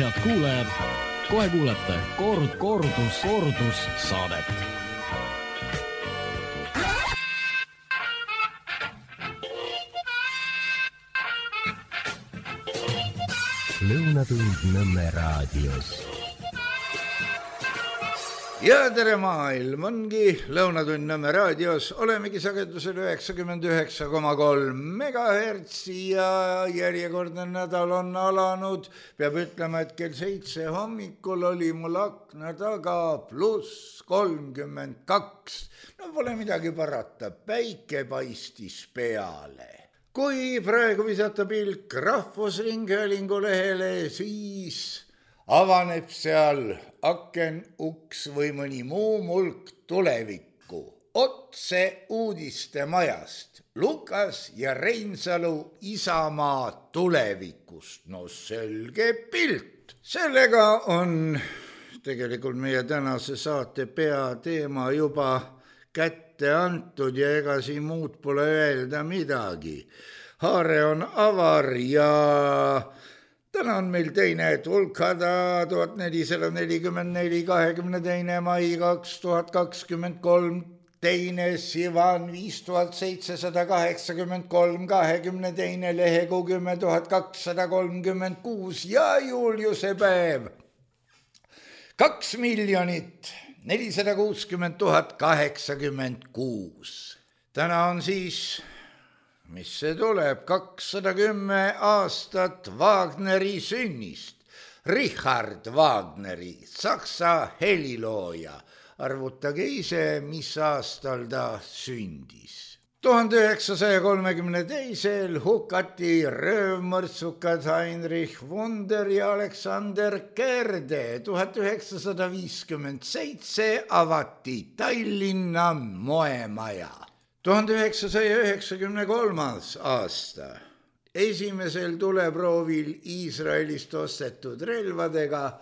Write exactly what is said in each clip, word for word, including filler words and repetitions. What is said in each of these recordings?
head kuulajad, kohe kuulete koorut, koorutus, koorutus saadet. Lõunatund Nõmme raadios. Ja tere maailm, ongi Lõunatund Nõmme raadios, olemegi sagedusel üheksakümmend üheksa koma kolm megahertsi ja järjekordne nädal on alanud. Peab ütlema, et kell seitse hommikul oli mul akna taga pluss kolmkümmend kaks. No pole midagi parata, päike paistis peale. Kui praegu visata pilk Rahvusringhäälingu lehele, siis avaneb seal aken, uks või mõni muu mulk tulevikku. Otse uudiste majast. Lukas ja Reinsalu Isamaa tulevikust. No selge pilt. Sellega on tegelikult meie tänase saate peateema juba kätte antud ja ega siin muud pole öelda midagi. Haare on avar ja täna on meil teine tulkhada tuhat nelisada nelikümmend neli, kahekümne teine mai kaks tuhat kakskümmend kolm, teine Sivan viis tuhat seitsesada kaheksakümmend kolm, kahekümne teine lehekuu kümme tuhat kakssada kolmkümmend kuus ja Juliuse päev kaks miljonit nelisada kuuskümmend tuhat kaheksakümmend kuus. Täna on siis, mis see tuleb, kakssada kümme aastat Wagneri sünnist. Richard Wagneri, saksa helilooja. Arvutage ise, mis aastal ta sündis. tuhande üheksasaja kolmekümne teisel hukati röövmõrtsukad Heinrich Wunder ja Alexander Kerde. tuhat üheksasada viiskümmend seitse avati Tallinna moemaja. tuhande üheksasaja üheksakümne kolmas aasta esimesel tuleproovil Iisraelist ostetud relvadega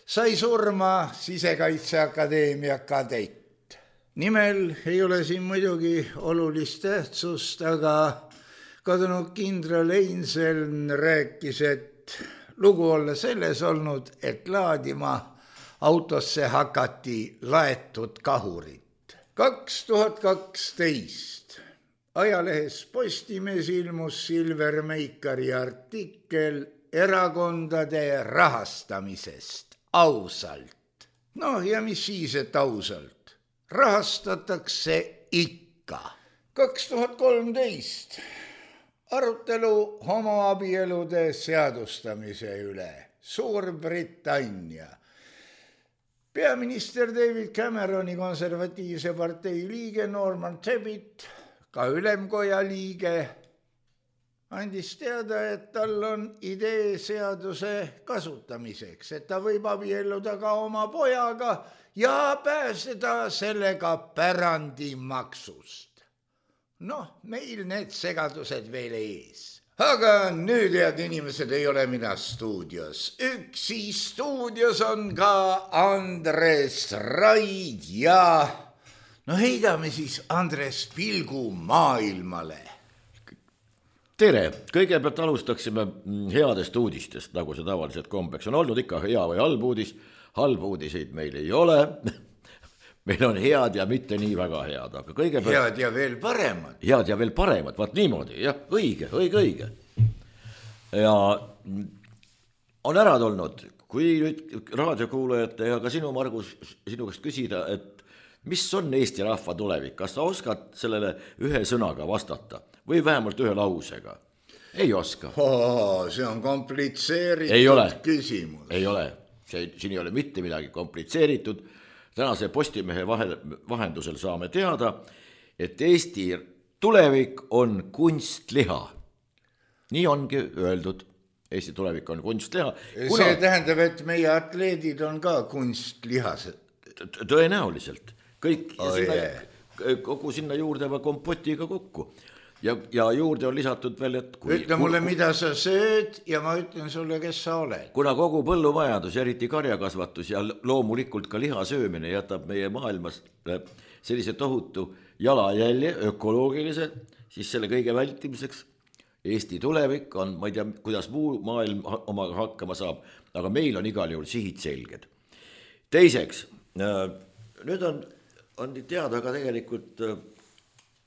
sai surma Sisekaitseakadeemia kadett. Nimel ei ole siin muidugi olulist tähtsust, aga kadunud kindral Einseln rääkis, et lugu olla selles olnud, et laadima autosse hakati laetud kahurit. kaks tuhat kaksteist ajalehes Postimees ilmus Silver Meikari artikkel erakondade rahastamisest ausalt. No ja mis siis, et ausalt? Rahastatakse ikka. kaks tuhat kolmteist arutelu homoabielude seadustamise üle. Suurbritannia. Peaminister David Cameroni konservatiivse partei liige Norman Tebbit, ka ülemkoja liige, andis teada, et tal on idee seaduse kasutamiseks, et ta võib abielluda ka oma pojaga ja pääseda sellega pärandimaksust. Noh, meil need segadused veel ees. Aga nüüd, head inimesed, ei ole mina stuudios. Üksi stuudios on ka Andres Raid ja no heidame siis Andres pilgu maailmale. Tere, kõigepealt alustaksime headest uudistest, nagu see tavaliselt kombeks on olnud, ikka hea või halb uudis. Halb uudiseid meil ei ole, meil on head ja mitte nii väga head, aga kõigepealt... Head ja veel paremad. Head ja veel paremad, vaat niimoodi, jah, õige, õige, õige. Ja on ära tulnud, kui nüüd raadiokuulajate ja ka sinu, Margus, sinu käest küsida, et mis on Eesti rahva tulevik, kas sa oskad sellele ühe sõnaga vastata või vähemalt ühe lausega? Ei oska. Oh, see on komplitseeritud küsimus. Ei ole. See, siin ei ole mitte midagi komplitseeritud. Tänase Postimehe vahendusel saame teada, et Eesti tulevik on kunstliha. Nii ongi öeldud. Eesti tulevik on kunstliha. Kuna... See tähendab, et meie atleedid on ka kunstlihased. Tõenäoliselt. Kõik oh, sinna, yeah. kogu sinna juurde va kompotiga kokku. Ja, ja juurde on lisatud veel, et kui, ütle mulle, mida sa sööd ja ma ütlen sulle, kes sa oled. Kuna kogu põllumajandus, eriti karjakasvatus ja loomulikult ka liha söömine jätab meie maailmas sellise tohutu jalajälje, ökoloogilise, siis selle kõige vältimiseks Eesti tulevik on, ma ei tea, kuidas muu maailm omaga hakkama saab, aga meil on igal juhul sihid selged. Teiseks, nüüd on, on teada ka tegelikult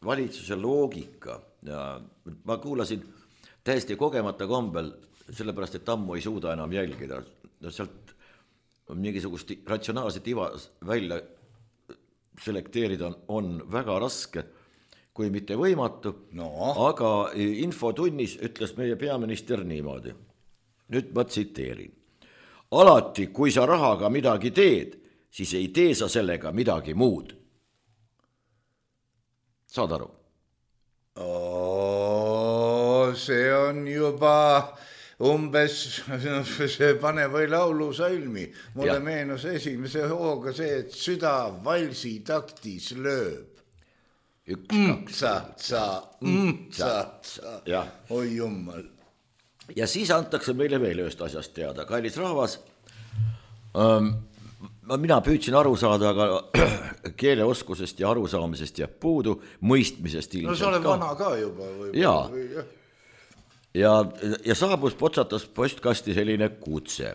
valitsuse loogika ja ma kuulasin täiesti kogemata kombel, sellepärast, et ammu ei suuda enam jälgida. Sealt mingisugust ratsionaalset iva välja selekteerida on, on väga raske, kui mitte võimatu, no. Aga infotunnis ütles meie peaminister niimoodi. Nüüd ma tsiteerin. Alati, kui sa rahaga midagi teed, siis ei tee sa sellega midagi muud. Saad aru? Oo, see on juba umbes, see pane või laulu salmi. Mulle ja. Meenus esimese hooga see, et süda valsi taktis lööb. Üks, kaks, sa, sa, sa, sa. Ja. Oi jummal. Ja siis antakse meile veel ühest asjast teada. Kallis rahvas, ähm, mina püüdsin aru saada, aga keeleoskusest ja arusaamisest jääb puudu, mõistmisest ilmselt. No sa oled vana ka juba. Või, ja. Või, ja. Ja, ja saabus potsatas postkasti selline kutse.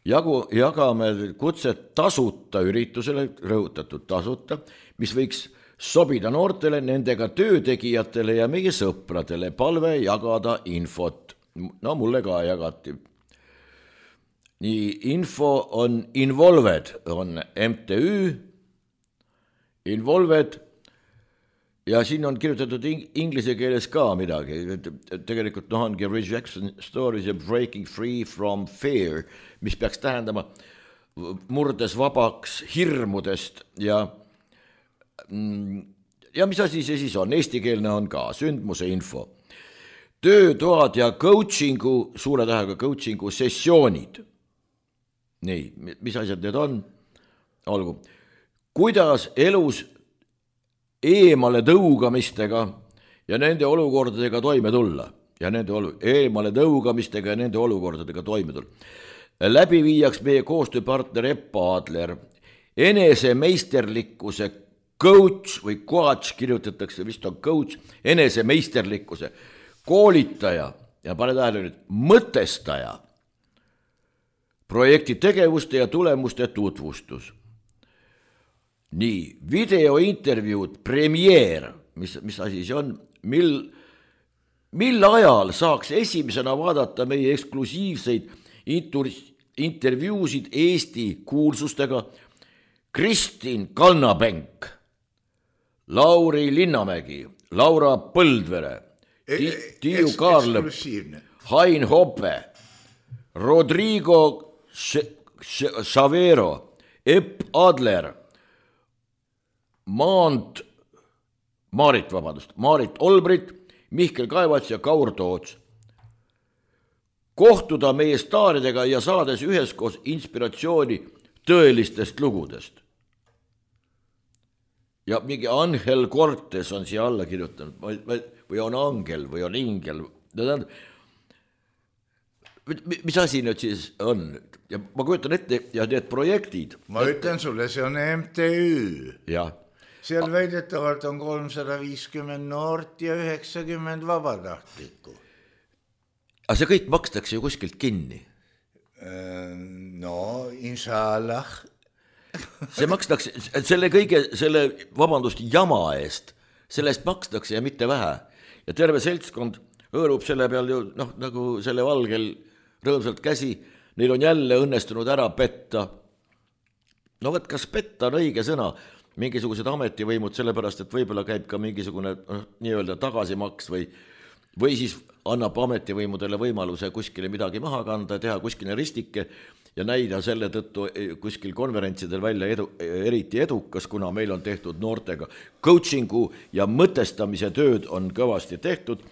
Jagu, jagame kutset tasuta üritusele, rõhutatud tasuta, mis võiks sobida noortele, nendega töötegijatele ja meie sõpradele, palve jagada infot. No mulle ka jagati. Nii, info on Involved, on M T Ü, Involved, ja siin on kirjutatud inglise keeles ka midagi. Tegelikult noh ongi Rejection Stories ja Breaking Free from Fear, mis peaks tähendama murdes vabaks hirmudest ja ja mis asi see siis on? Eestikeelne on ka sündmuse info. Töötoad ja coachingu, suure tähega coachingu sessioonid. Nii, mis asjad need on? Olgu. Kuidas elus eemale tõugamistega ja nende olukordadega toime tulla? Ja nende olu- eemale tõugamistega ja nende olukordadega toime tulla. Läbi viiaks meie koostööpartner Eppa Adler. Enese meisterlikkuse coach või coach kirjutatakse, vist on coach, enese meisterlikkuse koolitaja ja pane tähele nüüd, mõtestaja, projekti tegevuste ja tulemuste tutvustus. Nii, videointervjuud, premiere, mis, mis asi see on, mil, mil ajal saaks esimesena vaadata meie eksklusiivseid intervjuusid Eesti kuulsustega Kristin Kannabenk, Lauri Linnamägi, Laura Põldvere, Tiiu Kaarlõpp, Hain Hoppe, Rodrigo Savero, Epp Adler, Maant, Maarit, vabandust, Maarit Olbrit, Mihkel Kaevats ja Kaur Toots. Kohtuda meie staaridega ja saades üheskoos inspiratsiooni tõelistest lugudest. Ja mingi Angel Cortes on siia alla kirjutanud, või on Angel või on Ingel. Mis asi nüüd siis on? Ja ma kujutan ette, ja need projektid. Ma ütlen sulle, see on M T Ü. Ja. Seal väidetavalt on kolmsada viiskümmend noort ja üheksakümmend vabatahtlikku. Aga see kõik makstakse ju kuskilt kinni. No, inshallah. See makstakse, selle kõige, selle vabandust jama eest, sellest makstakse ja mitte vähe. Ja terve seltskond hõõrub selle peal ju, noh, nagu selle valgel rõõmsalt käsi, neil on jälle õnnestunud ära petta. No võt, kas petta on õige sõna? Mingisugused ametivõimud, sellepärast, et võib-olla käib ka mingisugune noh, nii-öelda tagasimaks või, või siis annab ametivõimudele võimaluse kuskile midagi maha kanda, teha kuskile ristike ja näida selle tõttu kuskil konverentsidel välja edu, eriti edukas, kuna meil on tehtud noortega coachingu ja mõtestamise tööd on kõvasti tehtud.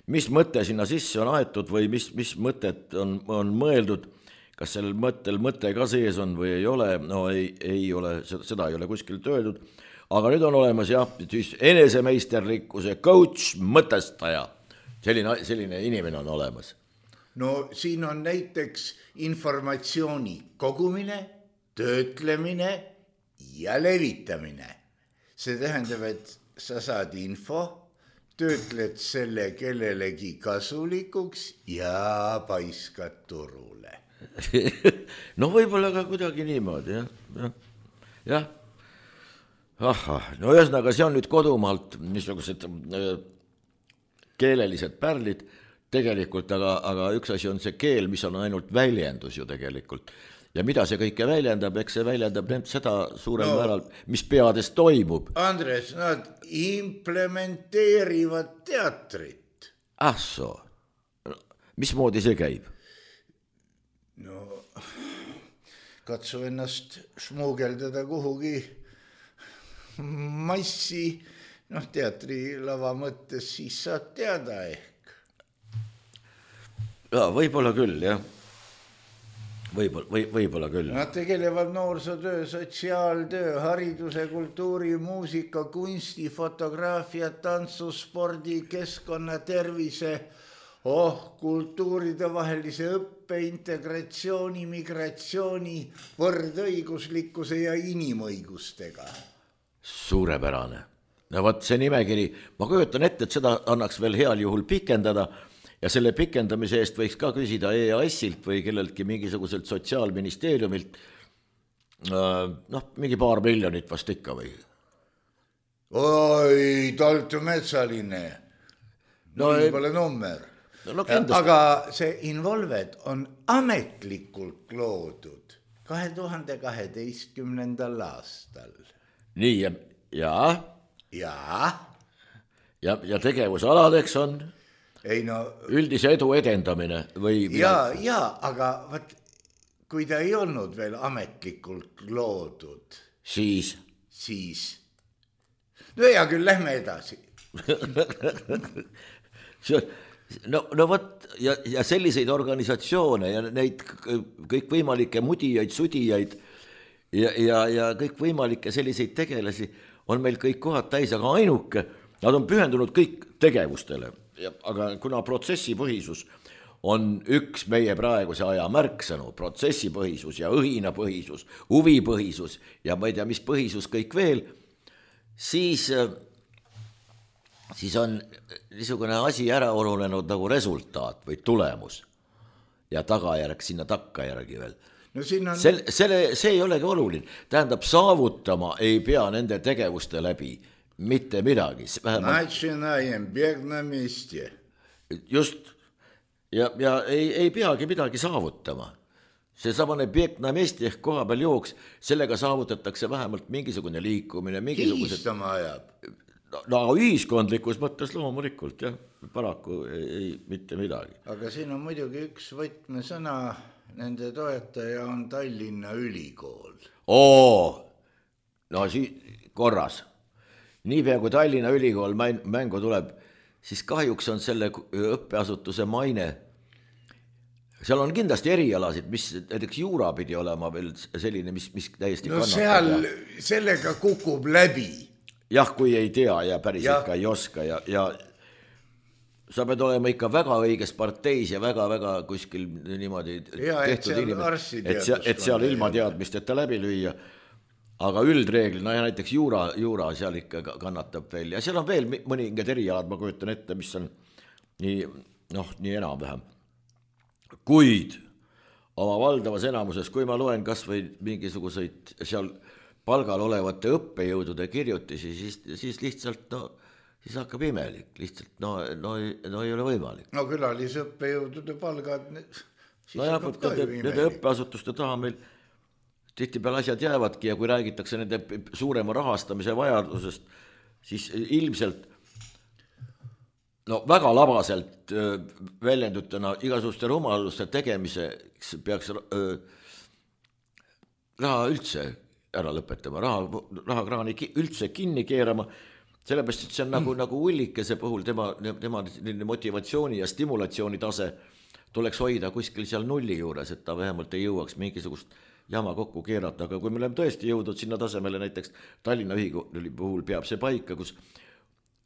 Mis mõte sinna sisse on aetud või mis, mis mõtet on, on mõeldud, kas sellel mõttel mõte ka sees on või ei ole, no ei, ei ole, seda ei ole kuskilt öeldud, aga nüüd on olemas jah, siis enesemeisterlikkuse coach, mõtestaja, selline, selline inimene on olemas. No siin on näiteks informatsiooni kogumine, töötlemine ja levitamine. See tähendab, et sa saad info, töötled selle kellelegi kasulikuks ja paiskad turule. No võib-olla ka kuidagi niimoodi, jah, jah, jah. Aha, no ühesõnaga, see on nüüd kodumaalt niisugused keelelised pärlid tegelikult, aga, aga üks asi on see keel, mis on ainult väljendus ju tegelikult. Ja mida see kõike väljendab, eks see väljendab seda suurel no, määral, mis peades toimub. Andres, nad implementeerivad teatrit. Ah soo, mismoodi see käib? No, katsu ennast šmuugeldada kuhugi massi, noh, teatrilava mõttes, siis saad teada ehk. Ja, võib-olla küll, jah. Võib-olla, või, võib-olla küll. Nad tegelevad noorsootöö, sotsiaaltöö, hariduse, kultuuri, muusika, kunsti, fotograafia, tantsu, spordi, keskkonna, tervise, oh, kultuuride vahelise õppe, integratsiooni, migratsiooni, võrdõiguslikkuse ja inimõigustega. Suurepärane. No võt see nimekiri, ma kujutan ette, et seda annaks veel heal juhul pikendada ja selle pikendamise eest võiks ka küsida E A S-ilt või kelleltki mingisuguselt sotsiaalministeeriumilt, noh, mingi paar miljonit vast ikka või? Oi, Taltu Metsaline, no ei pole nummer. No, aga see Involved on ametlikult loodud kahe tuhande kaheteistkümnendal aastal. Nii, ja, ja, ja, ja, ja tegevusaladeks on ei, no, üldise edu edendamine või... Ja, ja, aga võt, kui ta ei olnud veel ametlikult loodud, siis, siis, no hea küll, lähme edasi. No, no võt, ja, ja selliseid organisatsioone ja neid kõikvõimalikke mudijaid, sudijaid ja, ja, ja kõikvõimalikke selliseid tegelasi on meil kõik kohad täis, aga ainuke, nad on pühendunud kõik tegevustele, ja, aga kuna protsessipõhisus on üks meie praeguse aja märksõnu, protsessipõhisus ja õhinapõhisus, huvipõhisus ja ma ei tea, mis põhisus kõik veel, siis... siis on niisugune asi ära olunenud nagu resultaat või tulemus ja tagajärg sinna takkajärgi veel. No siin on... Sel, selle, see ei olegi oluline. Tähendab, saavutama ei pea nende tegevuste läbi mitte midagi. Начинаем бег на месте. Just. Ja, ja ei, ei peagi midagi saavutama. See samane beg na mesti ehk koha peal jooks, sellega saavutatakse vähemalt mingisugune liikumine. Kiistama ajab. No, no ühiskondlikus mõttes loomulikult, jah, paraku ei, ei mitte midagi. Aga siin on muidugi üks võtmesõna, nende toetaja on Tallinna Ülikool. Oo, no siis korras. Niipea kui Tallinna Ülikool mängu tuleb, siis kahjuks on selle õppeasutuse maine. Seal on kindlasti erialasid, mis näiteks juura pidi olema veel selline, mis, mis täiesti no seal ja... sellega kukub läbi. Jah, kui ei tea ja päris ja. Ikka ei oska ja, ja sa pead olema ikka väga õiges parteis ja väga-väga kuskil niimoodi ja, tehtud inimene, et, seal, et seal ilma teadmisteta läbi lüüa. Aga üldreegli, no ja näiteks juura, juura seal ikka kannatab veel ja seal on veel mõningad erialad, ma kujutan ette, mis on nii, noh, nii enam-vähem. Kuid oma valdavas enamuses, kui ma loen kas või mingisuguseid seal palgal olevate õppejõudude kirjutisi, siis, siis lihtsalt, no, siis hakkab imelik, lihtsalt, no, no, no ei ole võimalik. No külalisõppejõudude palgad, siis no hakkab ka ju imelik. Nende õppeasutuste taha meil tihtipeale asjad jäävadki ja kui räägitakse nende suurema rahastamise vajadusest, siis ilmselt, no väga labaselt väljendutena igasuguste rumaluste tegemiseks peaks öö, raha üldse ära lõpetama, raha, rahakraani üldse kinni keerama, sellepärast, et see on nagu, mm. nagu ullikese puhul tema, tema motivatsiooni ja stimulatsiooni tase tuleks hoida kuskil seal nulli juures, et ta vähemalt ei jõuaks mingisugust jama kokku keerata, aga kui me oleme tõesti jõudnud sinna tasemele, näiteks Tallinna Ülikooli puhul peab see paika, kus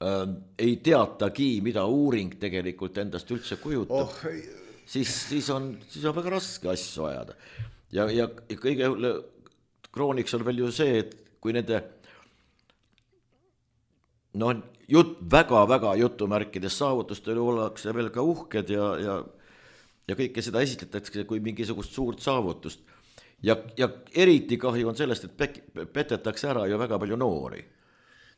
äh, ei teatagi, mida uuring tegelikult endast üldse kujutab, oh. siis, siis, on, siis on väga raske asju ajada. Ja, ja kõige krooniks on veel ju see, et kui nende no, jut, väga-väga jutumärkides saavutustele ollakse veel ka uhked ja, ja, ja kõike seda esitletakse kui mingisugust suurt saavutust. Ja, ja eriti kahju on sellest, et pek, petetakse ära ju väga palju noori.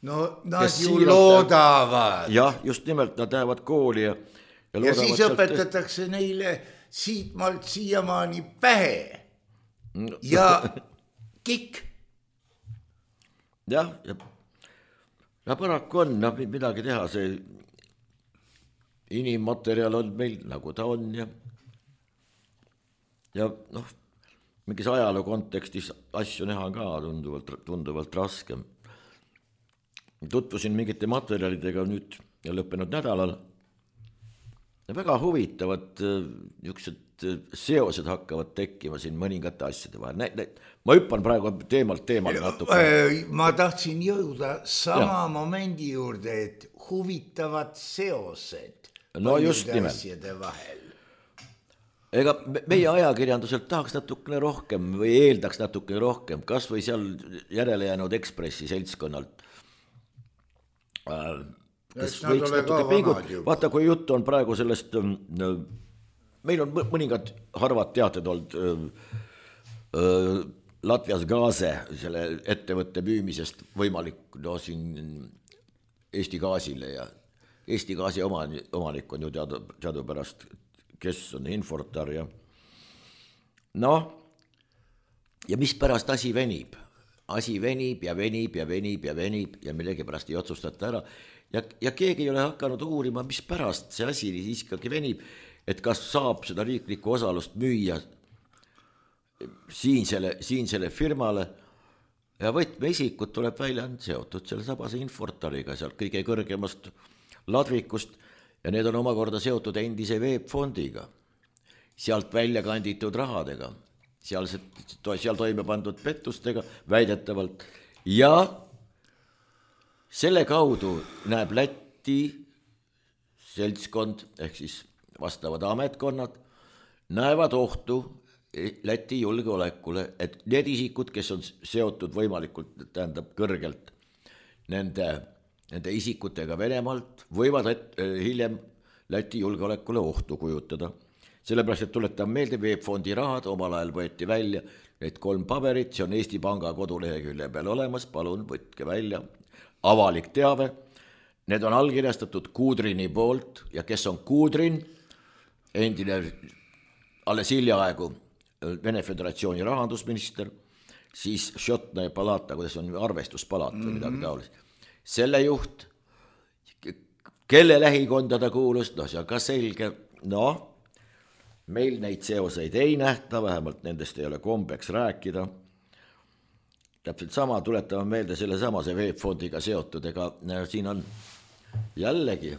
No nad ju loodavad. Jah, just nimelt nad lähevad kooli ja ja, ja siis õpetatakse tõst... neile siitmalt siiamaani pähe ja kikk. Jah, ja, ja paraku on, no, midagi teha, see inimmaterjal on meil nagu ta on ja ja noh, mingis ajaloo kontekstis asju näha ka tunduvalt, tunduvalt raskem. Tutvusin mingite materjalidega nüüd ja lõppenud nädalal ja väga huvitavad niisugused seosed hakkavad tekkima siin mõningate asjade vahel. Nä, nä, ma hüppan praegu teemalt teemale natuke. Ma tahtsin jõuda sama ja. Momendi juurde, et huvitavad seosed no just asjade vahel. Ega meie ajakirjanduselt tahaks natukene rohkem või eeldaks natukene rohkem, kas või seal järele jäänud Ekspressi seltskonnalt. Kes võiks natuke pingut, vaata kui jutt on praegu sellest, meil on mõningad harvad teated olnud Latvias Gaase, selle ettevõtte müümisest võimalik no siin Eesti Gaasile ja Eesti Gaasi omanik on ju teadu, teadupärast kes on Infortar ja noh, ja mis pärast asi venib? Asi venib ja venib ja venib ja venib ja millegi pärast ei otsustata ära ja, ja keegi ei ole hakanud uurima, mis pärast see asi siiski venib, et kas saab seda riiklikku osalust müüa siinsele, siinsele firmale ja võtmeisikud tuleb välja seotud selle sabase Infortariga sealt kõige kõrgemast ladvikust ja need on omakorda seotud endise veebfondiga, sealt välja kanditud rahadega, seal, seal toime pandud pettustega väidetavalt ja selle kaudu näeb Läti seltskond ehk siis vastavad ametkonnad näevad ohtu Läti julgeolekule, et need isikud, kes on seotud võimalikult, tähendab kõrgelt nende Nende isikutega Venemaalt võivad et, hiljem Läti julgeolekule ohtu kujutada. Sellepärast, et tuletan meelde, veebfondi rahad omal ajal võeti välja, need kolm paberit, see on Eesti Panga kodulehekülje peal olemas, palun võtke välja, avalik teave, need on allkirjastatud Kudrini poolt ja kes on Kudrin, endine alles hiljaaegu Vene Föderatsiooni rahandusminister, siis Šotna ja Palata, kuidas on arvestuspalaat või midagi taolist. Selle juht, kelle lähikonda ta kuulus, no see on ka selge, no meil neid seoseid ei nähta, vähemalt nendest ei ole kombeks rääkida. Täpselt sama tuletame meelde selle samase veebfondiga seotud, ega siin on jällegi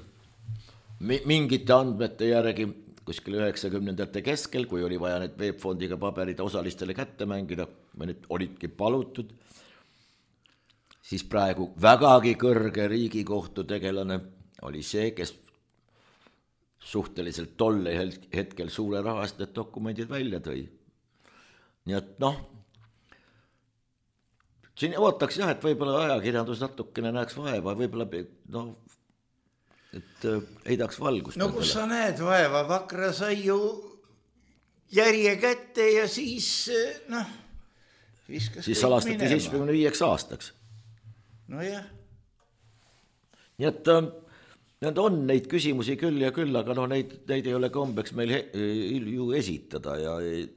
mingite andmete järgi kuskil üheksakümnendate keskel, kui oli vaja need veebfondiga paberid osalistele kätte mängida, või need olidki palutud, siis praegu vägagi kõrge Riigikohtu tegelane oli see, kes suhteliselt tolle hetkel suure rahast need dokumendid välja tõi. Nii et noh, siin ootaks jah, et võib-olla ajakirjandus natukene näeks vaeva, võib-olla noh, et heidaks valgust. No kus sa näed vaeva, Vakra sai ju järje kätte ja siis noh, viskas siis salastati seitsmekümne viieks aastaks. No jah. Nii et need on neid küsimusi küll ja küll, aga no neid, neid ei ole kombeks meil he, ju esitada ja ei,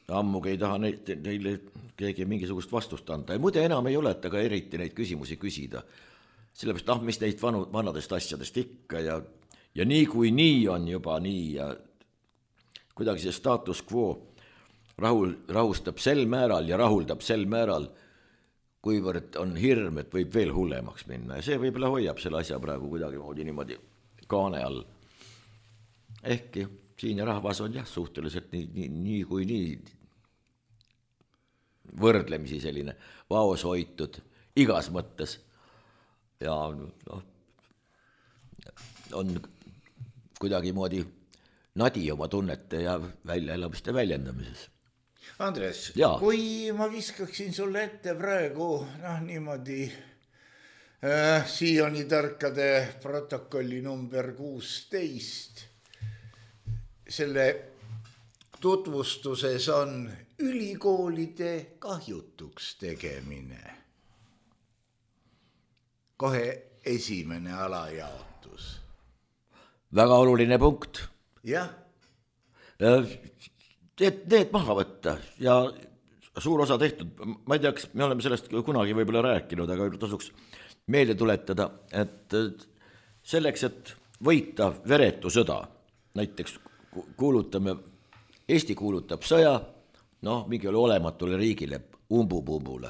ammugi ei taha neid, neile keegi mingisugust vastust anda. Ja muide enam ei ole, et aga eriti neid küsimusi küsida. Sellepärast, ah, mis neid vanu, vanadest asjadest ikka ja, ja nii kui nii on juba nii ja kuidagi see status quo rahul, rahustab sel määral ja rahuldab sel määral, kuivõrd on hirm, et võib veel hullemaks minna ja see võib-olla hoiab selle asja praegu kuidagi moodi niimoodi kaane all. Ehkki siin ja rahvas on jah suhteliselt nii, nii, nii kui nii võrdlemisi selline vaos hoitud igas mõttes ja noh, on kuidagi moodi nadi oma tunnete ja väljaelamiste väljendamises. Andres, ja. Kui ma viskaksin sulle ette praegu noh, niimoodi Siioni tarkade protokolli number kuusteist. Selle tutvustuses on ülikoolide kahjutuks tegemine. Kohe esimene alajaotus. Väga oluline punkt. Jah. Need, need maha võtta ja suur osa tehtud. Ma ei teaks, me oleme sellest kunagi võib-olla rääkinud, aga tasuks meelde tuletada, et selleks, et võita veretu sõda, näiteks kuulutame, Eesti kuulutab sõja, noh, mingi olematule riigile, umbupumbule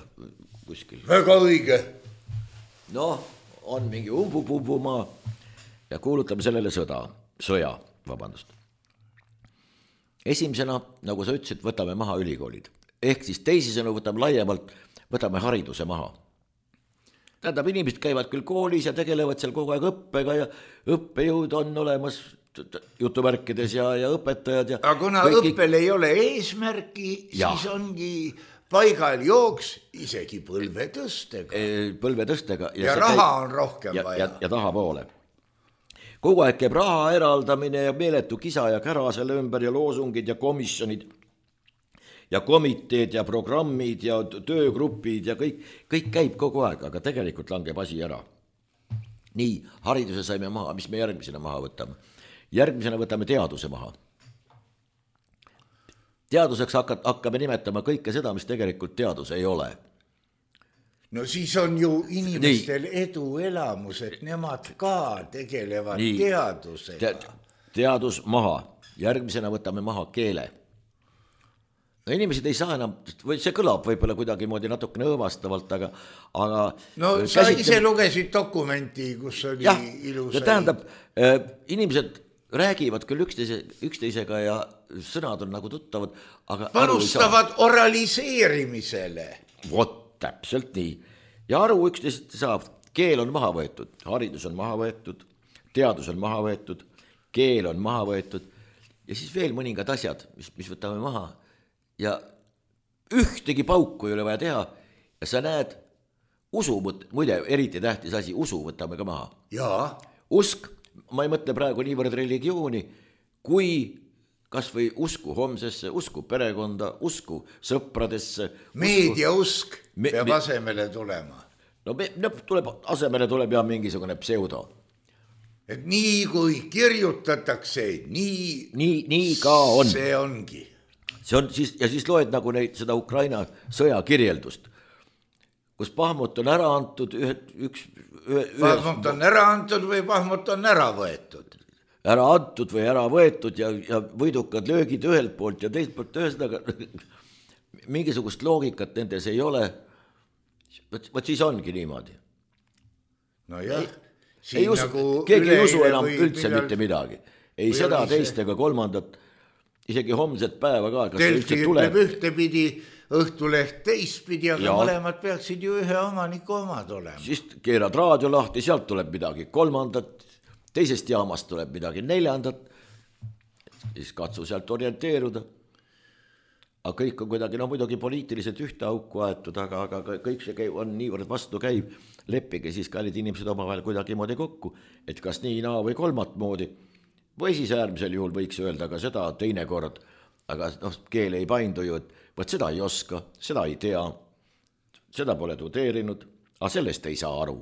kuskil. Väga õige. Noh, on mingi umbupumbumaa ja kuulutame sellele sõda, sõja, vabandust. Esimesena, nagu sa ütlesid, võtame maha ülikoolid. Ehk siis teisisena võtame laiemalt, võtame hariduse maha. Tähendab, inimesed käivad küll koolis ja tegelevad seal kogu aeg õppega ja õppejõud on olemas jutumärkides ja, ja õpetajad. Ja aga kuna kõik... õppel ei ole eesmärki, ja. Siis ongi paigal jooks isegi põlvetõstega. E, põlvetõstega. Ja, ja raha käib... on rohkem ja, vaja. Ja, ja taha poole. Kogu aeg käib raha eraldamine ja meeletu kisa ja kära selle ümber ja loosungid ja komisjonid ja komiteed ja programmid ja töögrupid ja kõik, kõik käib kogu aeg, aga tegelikult langeb asi ära. Nii, hariduse saime maha, mis me järgmisena maha võtame? Järgmisena võtame teaduse maha. Teaduseks hakkame nimetama kõike seda, mis tegelikult teadus ei ole. No siis on ju inimestel Nii. eduelamus, et nemad ka tegelevad Nii. teadusega. Te, teadus maha. Järgmisena võtame maha keele. No inimesed ei saa enam, või see kõlab võib-olla kuidagi moodi natukene õõvastavalt, aga, aga no sa käsitleb... ise lugesid dokumenti, kus oli ja, ilus. Ja tähendab, äh, inimesed räägivad küll üksteise, üksteisega ja sõnad on nagu tuttavad, aga panustavad oraliseerimisele. Vot, täpselt nii. Ja aru üksteisest saab, keel on maha võetud, haridus on maha võetud, teadus on maha võetud, keel on maha võetud ja siis veel mõningad asjad, mis, mis võtame maha. Ja ühtegi pauku ei ole vaja teha ja sa näed, usu, muide, eriti tähtis asi, usu võtame ka maha. Jaa. Usk, ma ei mõtle praegu niivõrd religiooni, kui kas või usku homsesse, usku perekonda, usku sõpradesse. Meediausk me, peab me, asemele tulema. No, me, no tuleb, asemele tuleb ja mingisugune pseudo. Et nii kui kirjutatakse, nii, nii, nii ka on. See ongi. See on siis, ja siis loed nagu neid, seda Ukraina sõja kirjeldust, kus Pahmut on ära antud, ühe, üks... Ühe, Pahmut on ära antud või Pahmut on ära võetud? Ära antud või ära võetud ja, ja võidukad löögid ühelt poolt ja teiselt poolt ühesõnaga mingisugust loogikat nendes ei ole. Võt, võt siis ongi niimoodi. No jah. Ei, ei usu, nagu keegi ei usu enam üldse millal... mitte midagi. Ei seda, teist ega kolmandat, isegi homset päeva ka. Delfi ütleb ühtepidi, Õhtuleht teistpidi, aga ja. Mõlemad peaksid ju ühe omaniku omad olema. Siis keerad raadio lahti, sealt tuleb midagi kolmandat, teisest jaamast tuleb midagi neljandat, siis katsu sealt orienteeruda. Aga kõik on kuidagi, no muidugi poliitiliselt ühte auku aetud, aga, aga kõik see käib, on niivõrd vastu käib, leppige siis kallid inimesed omavahel kuidagi moodi kokku, et kas nii, naa või kolmat moodi, või siis äärmisel juhul võiks öelda ka seda teine kord, aga noh, keel ei paindu ju, et võt seda ei oska, seda ei tea, seda pole tudeerinud, aga sellest ei saa aru.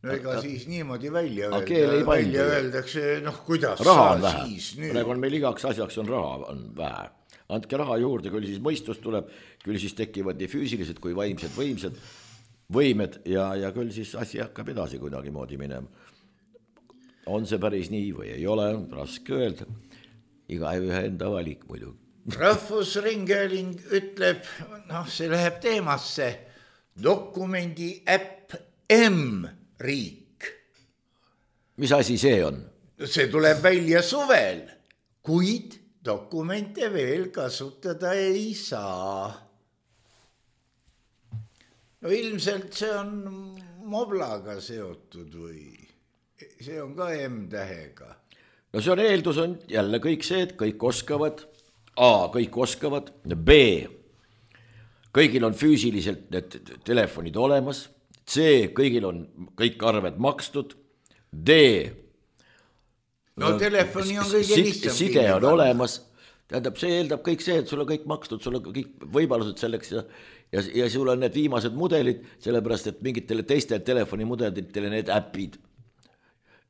No ega aga, siis niimoodi välja öelda, välja öeldakse, noh kuidas raha on vähe, praegu on meil igaks asjaks on raha on vähe. Andke raha juurde, küll siis mõistus tuleb, küll siis tekivad nii füüsilised kui vaimsed võimsed võimed ja, ja küll siis asi hakkab edasi kuidagi moodi minema. On see päris nii või ei ole, raske öelda. Iga ühe enda valik muidu. Rahvusringhääling ütleb, noh, see läheb teemasse, dokumendi äpp M-riik. Mis asi see on? See tuleb välja suvel, kuid dokumente veel kasutada ei saa. No ilmselt see on moblaga seotud või see on ka M-tähega. No see on eeldus on jälle kõik see, et kõik oskavad, A, kõik oskavad, B, kõigil on füüsiliselt need telefonid olemas, C, kõigil on kõik arved makstud, D, no telefoni on kõige lihtsam. Side on olemas, tähendab, see eeldab kõik see, et sul on kõik makstud, sul on kõik võimalused selleks ja, ja, ja sul on need viimased mudelid, sellepärast, et mingitele teistele telefonimudelitele need äpid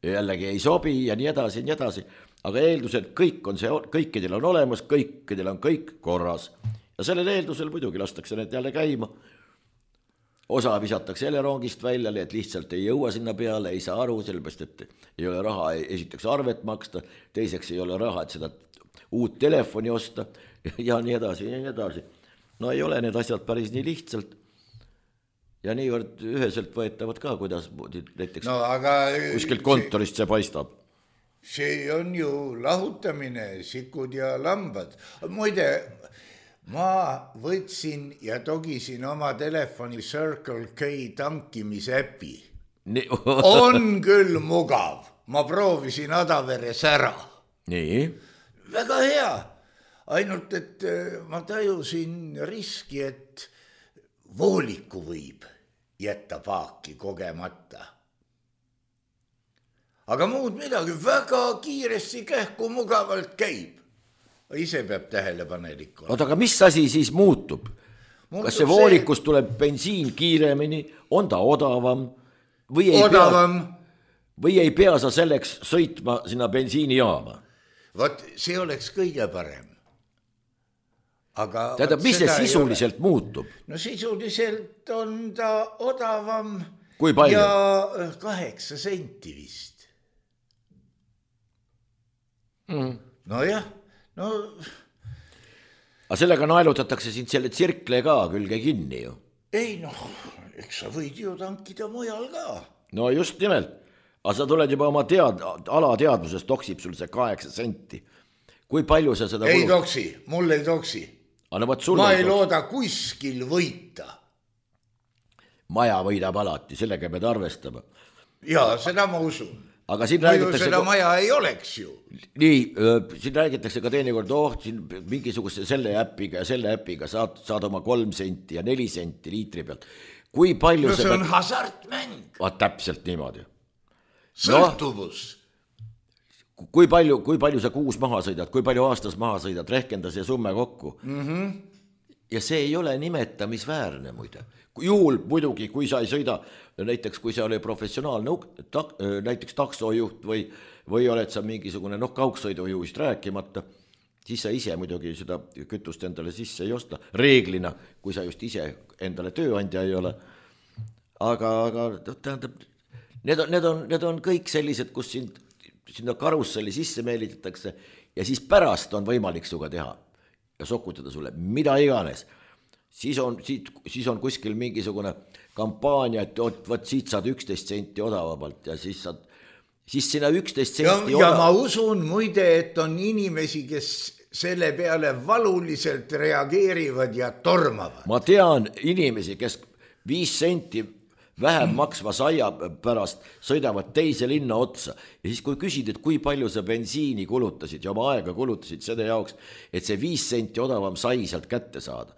jällegi ei sobi ja nii edasi ja nii edasi, aga eeldusel kõik on see, kõikidel on olemas, kõikidel on kõik korras ja sellel eeldusel muidugi lastakse need jälle käima. Osa visatakse jälle rongist välja, et lihtsalt ei jõua sinna peale, ei saa aru, sellepärast, et ei ole raha, esiteks arvet maksta, teiseks ei ole raha, et seda uut telefoni osta ja nii edasi ja nii edasi. No ei ole need asjad päris nii lihtsalt ja niivõrd üheselt võetavad ka, kuidas näiteks no, aga kuskilt kontorist see paistab. See on ju lahutamine, sikud ja lambad. Muide, ma võtsin ja togisin oma telefoni Circle K tankimisäpi. Nii. On küll mugav. Ma proovisin Adaveres ära. Nii. Väga hea. Ainult, et ma tajusin riski, et vooliku võib jätta paaki kogemata. Aga muud midagi, väga kiiresti kähku mugavalt käib. Ise peab tähelepanelik olema. Oota, aga mis asi siis muutub? muutub Kas see voolikus see... tuleb bensiin kiiremini, on ta odavam või ei, odavam. Pea, või ei pea sa selleks sõitma sinna bensiinijaama? Vot see oleks kõige parem. Aga tähendab, mis see sisuliselt muutub? No sisuliselt on ta odavam. Kui palju? Ja kaheksa senti vist. Mm. No jah. No... Aga sellega naelutatakse sind selle tsirkle ka külge kinni ju. Ei noh, eks sa võid ju tankida mujal ka. No just nimelt. Aga sa tuled juba oma tead, alateadvuses toksib sul see kaheksa senti. Kui palju sa seda... Ei toksi, mul ei toksi. No, ma ei looda kuskil võita. Maja võidab alati, sellega pead arvestama. Jaa, seda ma usun. Aga siin Muidu räägitakse... seda maja ei oleks ju. Nii, siin räägitakse ka teinekord, oh, siin mingisuguse selle äpiga ja selle äpiga saad, saad oma kolm senti ja neli senti liitri pealt. Kui palju no see on peab... hasartmäng. Vaat täpselt niimoodi. Sõltuvus. No, kui palju, kui palju sa kuus maha sõidad, kui palju aastas maha sõidad, rehkenda see summe kokku. Mm-hmm. Ja see ei ole nimetamisväärne muide. Juhul muidugi, kui sa ei sõida, näiteks kui sa oli professionaalne tak, näiteks taksojuht või, või oled sa mingisugune noh, kaugsõidujuhist rääkimata, siis sa ise muidugi seda kütust endale sisse ei osta. Reeglina, kui sa just ise endale tööandja ei ole. Aga, aga tähendab, need on, need on, need on kõik sellised, kus sind, sinna karusselli sisse meelitatakse ja siis pärast on võimalik suga teha ja sokutada sulle mida iganes. Siis on, siis on kuskil mingisugune kampaania, et võt siit saad üksteist senti odavamalt ja siis saad, siis sinna üksteist senti ja, ja ma usun muide, et on inimesi, kes selle peale valuliselt reageerivad ja tormavad. Ma tean inimesi, kes viis senti vähem maksva saia pärast sõidavad teise linna otsa ja siis kui küsid, et kui palju sa bensiini kulutasid ja oma aega kulutasid selle jaoks, et see viis senti odavam sai sealt kätte saada.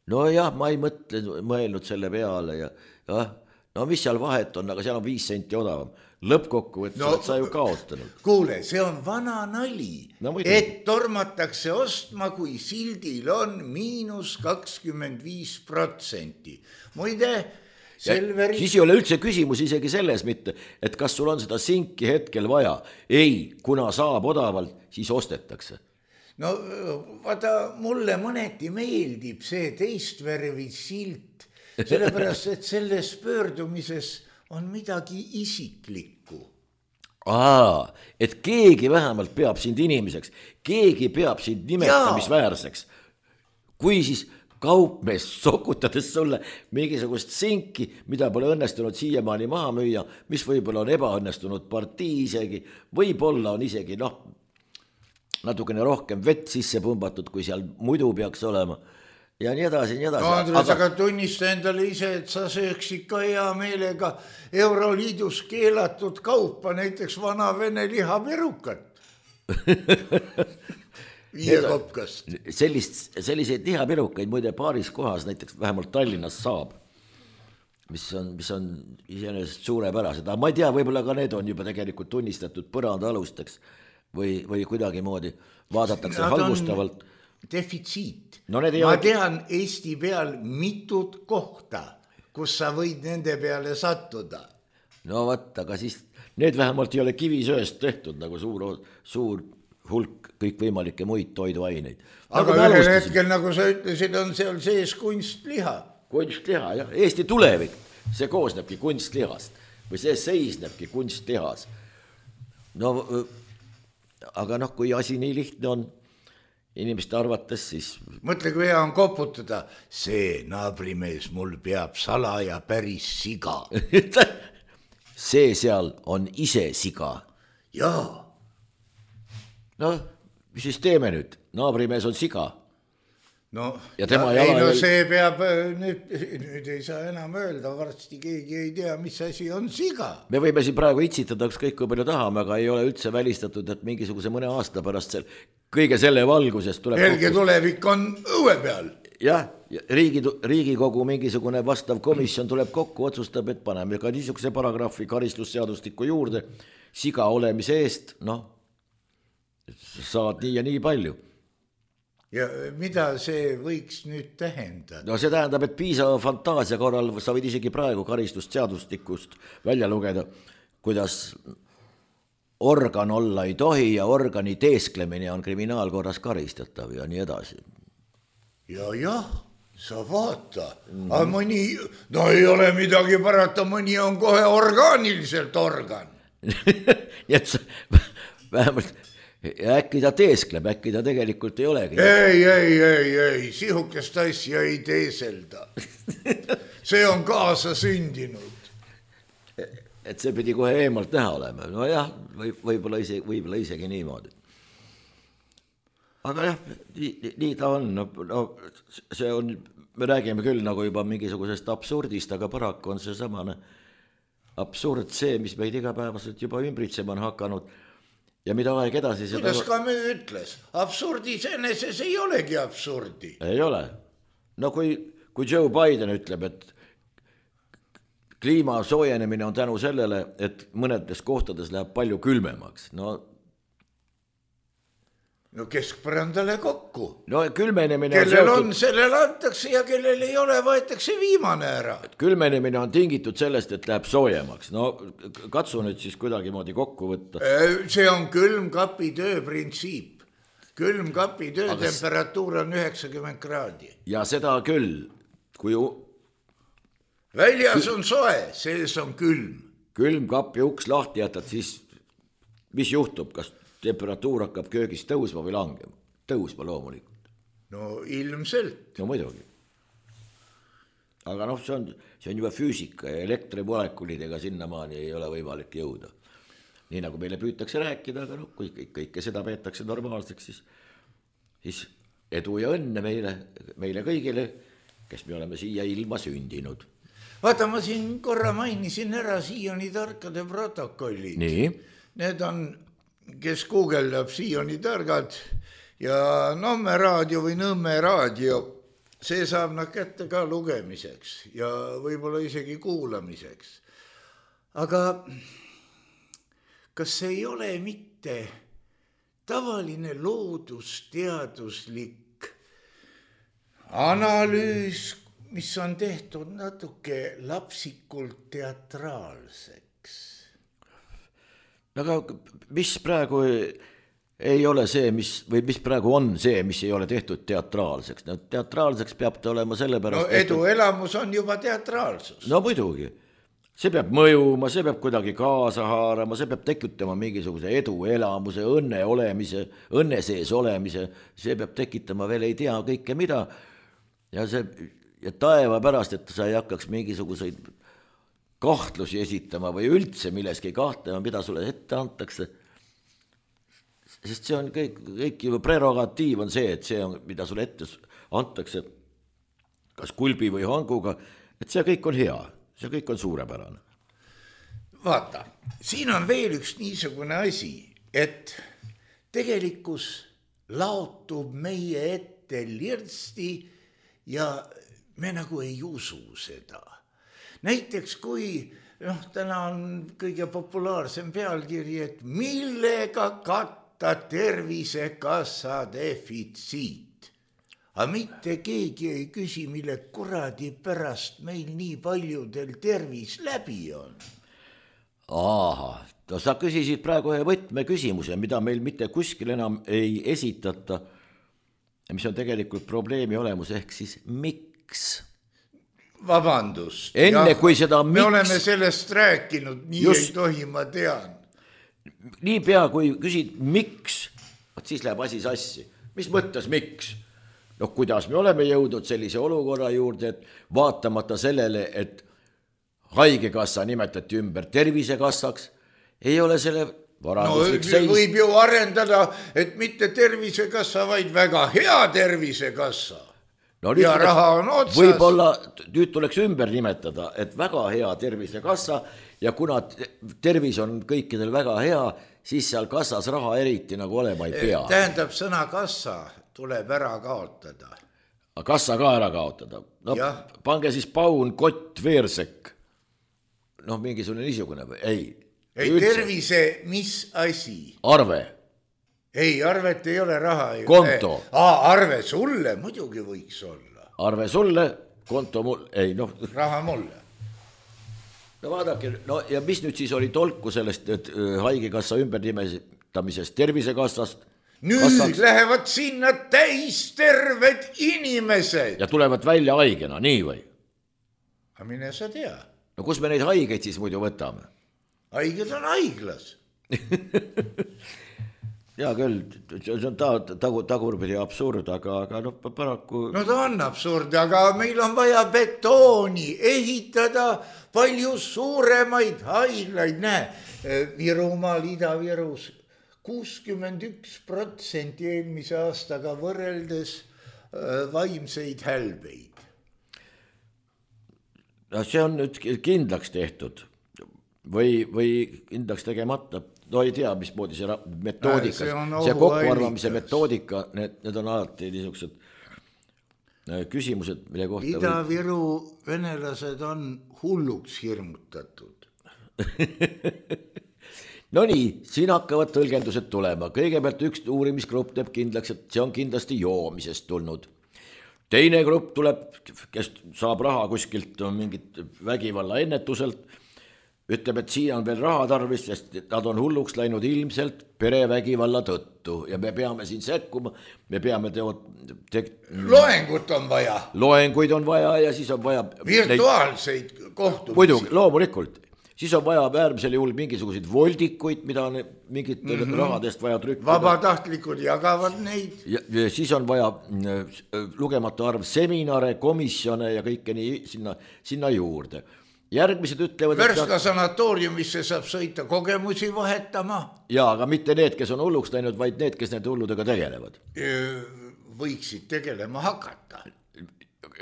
No jah, ma ei mõtle, mõelnud selle peale ja, ja no mis seal vahet on, aga seal on viis senti odavam. Lõppkokkuvõttes no, sa ju kaotanud. Kuule, see on vana nali, no, et tormatakse ostma, kui sildil on miinus kakskümmend viis protsenti. Muide, Selveri... Siis ei ole üldse küsimus isegi selles mitte, et kas sul on seda sinki hetkel vaja. Ei, kuna saab odavalt, siis ostetakse. No vaata, mulle mõneti meeldib see teistvärvi silt, sellepärast, et selles pöördumises on midagi isiklikku. Aa, et keegi vähemalt peab sind inimeseks, keegi peab sind nimetamisväärseks. Kui siis kaupmees sokutades sulle mingisugust sinki, mida pole õnnestunud siiamaani maha müüa, mis võib-olla on ebaõnnestunud partii isegi, võib-olla on isegi noh, natukene rohkem vett sisse pumbatud, kui seal muidu peaks olema ja nii edasi, nii edasi. No Andres, aga tunnista endale ise, et sa sööks ikka hea meelega Euroliidus keelatud kaupa, näiteks vana vene lihaperukat. Viiekopkast. Sellist, selliseid lihaperukaid muide paaris kohas, näiteks vähemalt Tallinnas saab. mis on, mis on iseenesest suurepärased, aga ma ei tea, võib-olla ka need on juba tegelikult tunnistatud põranda alusteks või, või kuidagi moodi vaadatakse halvustavalt. Defitsiit. No, ma ole... tean Eesti peal mitut kohta, kus sa võid nende peale sattuda. No vaat, aga siis need vähemalt ei ole kivisööst tehtud nagu suur, suur hulk kõikvõimalikke muid toiduaineid. Aga nagu ühel hetkel, nagu sa ütlesid, on seal sees kunstliha. Kunstliha, jah. Eesti tulevik, see koosnebki kunstlihast või see seisnebki kunstlihas. No, aga noh, kui asi nii lihtne on inimeste arvates, siis... Mõtle, kui hea on koputada. See naabrimees mul peab salaja päris siga. See seal on ise siga. Jaa. No, mis siis teeme nüüd? Naabrimees on siga. No, ja tema ja, jala... ei, no see peab, nüüd, nüüd ei saa enam öelda, varsti keegi ei tea, mis asi on siga. Me võime siin praegu itsitada kõik kui palju tahame, aga ei ole üldse välistatud, et mingisuguse mõne aasta pärast sel, kõige selle valgusest tuleb... Helge kokku... tulevik on õue peal. Jah, riigi, Riigikogu mingisugune vastav komisjon tuleb kokku, otsustab, et paneme ka niisuguse paragrahvi karistusseadustiku juurde, siga olemise eest, noh, saad nii ja nii palju. Ja mida see võiks nüüd tähendada? No see tähendab, et piisava fantaasia korral sa võid isegi praegu karistusseadustikust välja lugeda, kuidas organ olla ei tohi ja organi teesklemine on kriminaalkorras karistatav ja nii edasi. Ja jah, sa vaata, mm. aga mõni, no ei ole midagi parata, mõni on kohe orgaaniliselt organ. Nii et sa vähemalt... Ja äkki ta teeskleb, äkki ta tegelikult ei olegi. Ei, ei, ei, ei, sihukest asja ei teeselda. See on kaasa sündinud. Et see pidi kohe eemalt näha olema. No jah, või, võib-olla, ise, võib-olla isegi niimoodi. Aga jah, nii, nii ta on. No, no, see on, me räägime küll nagu juba mingisugusest absurdist, aga paraku on see samane absurd see, mis meid igapäevaselt juba ümbritsema on hakanud. Ja mida aeg edasi seda... Kuidas ka me ütles? Absurdi seneses ei olegi absurdi. Ei ole. No kui, kui Joe Biden ütleb, et kliima soojenemine on tänu sellele, et mõnedes kohtades läheb palju külmemaks. No, no keskpõrandale kokku. No külmenemine kellel on, on, sellel antakse ja kellel ei ole, võetakse viimane ära. Külmenemine on tingitud sellest, et läheb soojemaks. No katsu nüüd siis kuidagi moodi kokku võtta. See on külmkapi töö printsiip. Külmkapi töö aga temperatuur on üheksakümmend kraadi. Ja seda küll, kui... Väljas on soe, sees on külm. Külmkapi uks lahti jätad, siis mis juhtub, kas... temperatuur hakkab köögis tõusma või langema. Tõusma loomulikult. No ilmselt. No muidugi. Aga noh, see on, see on juba füüsika ja elektrimolekulidega sinnamaani ei ole võimalik jõuda. Nii nagu meile püütakse rääkida, aga noh, kui kõike seda peetakse normaalseks, siis, siis edu ja õnne meile, meile kõigile, kes me oleme siia ilma sündinud. Vaata, ma siin korra mainisin ära Sioni tarkade protokollid. Nii. Need on... kes guugeldab Sioni targad ja Nõmme raadio või Nõmme raadio, see saab nad kätte ka lugemiseks ja võib-olla isegi kuulamiseks. Aga kas see ei ole mitte tavaline loodusteaduslik analüüs, mis on tehtud natuke lapsikult teatraalseks? Aga mis praegu ei ole see, mis, või mis praegu on see, mis ei ole tehtud teatraalseks? No teatraalseks peab ta olema selle pärast... No edu elamus on juba teatraalsus. No muidugi. See peab mõjuma, see peab kuidagi kaasa haarama, see peab tekitama mingisuguse edu elamuse, õnne olemise, õnne sees olemise, see peab tekitama veel ei tea kõike mida. Ja see ja taeva pärast, et sa ei hakkaks mingisuguseid... kahtlusi esitama või üldse milleski kahtlema, mida sulle ette antakse. Sest see on kõik, kõik juba prerogatiiv on see, et see on, mida sulle ette antakse, kas kulbi või hanguga, et see kõik on hea, see kõik on suurepärane. Vaata, siin on veel üks niisugune asi, et tegelikkus laotub meie ette lirsti ja me nagu ei usu seda. näiteks kui noh, täna on kõige populaarsem pealkiri, et millega katta Tervisekassa defitsiit. Aga mitte keegi ei küsi, mille kuradi pärast meil nii paljudel tervis läbi on. Aha, no sa küsisid praegu ühe võtmeküsimuse, mida meil mitte kuskil enam ei esitata, mis on tegelikult probleemi olemus, ehk siis miks? Vabandust. Enne ja, kui seda miks... Me oleme sellest rääkinud, nii just, ei tohi, ma tean. Nii pea, kui küsid miks, siis läheb asi sassi. Mis mõttes miks? No kuidas me oleme jõudnud sellise olukorra juurde, et vaatamata sellele, et haigekassa nimetati ümber Tervisekassaks, ei ole selle varanduslik no, seis. Võib ju arendada, et mitte Tervisekassa, vaid väga hea Tervisekassa. No, ja tuleks, raha on otsas. Võib-olla nüüd tuleks ümber nimetada, et väga hea Tervisekassa ja kuna tervis on kõikidel väga hea, siis seal kassas raha eriti nagu olema ei pea. Tähendab, sõna kassa tuleb ära kaotada. Kassa ka ära kaotada. No, pange siis Paun Kott Veersek. Noh, mingisugune niisugune või? Ei. Ei, üldse. Tervise, mis asi? Arve. Ei, arvet ei ole raha. Konto. Aa, arve sulle muidugi võiks olla. Arve sulle, konto mulle. Ei, noh. Raha mulle. No vaadake, no ja mis nüüd siis oli tolku sellest, et haigekassa ümbernimestamisest Tervisekassast? Nüüd kassaks lähevad sinna täis terved inimesed. Ja tulevad välja haigena, nii või? Aga mine sa tea. No kus me neid haigeid siis muidu võtame? Haiged on haiglas. Jaa küll, see on ta, tagu, tagurpidi absurd, aga, aga no paraku... No ta on absurd, aga meil on vaja betooni, ehitada palju suuremaid haiglaid. Näe, Virumaal, Ida-Virus kuuskümmend üks protsenti eelmise aastaga võrreldes vaimseid hälbeid. No see on nüüd kindlaks tehtud või, või kindlaks tegemata. No ei tea, mis moodi see metoodika, see, see kokkuarvamise metoodika, need, need on alati niisugused küsimused, mille kohta... Ida-Viru venelased on hulluks hirmutatud. No nii, siin hakkavad tõlgendused tulema. Kõigepealt üks uurimisgrupp teeb kindlaks, et see on kindlasti joomisest tulnud. Teine grupp tuleb, kes saab raha kuskilt mingit vägivalla ennetuselt, ütleb, et siia on veel raha tarvis, sest nad on hulluks läinud ilmselt perevägivalla tõttu ja me peame siin sekkuma, me peame teo... Te... Loengut on vaja. Loenguid on vaja ja siis on vaja... Virtuaalseid neid... kohtumisi. Muidugi, loomulikult. Siis on vaja äärmisel juhul mingisuguseid voldikuid, mida on mingit mm -hmm. rahadest vaja trükkida. Vabatahtlikud jagavad neid. Ja, ja siis on vaja lugematu arv seminare, komisjone ja kõike nii sinna, sinna juurde. Järgmised ütlevad... Värska sanatooriumisse saab sõita kogemusi vahetama. Jaa, aga mitte need, kes on hulluks läinud, vaid need, kes need hulludega tegelevad. Võiksid tegelema hakata.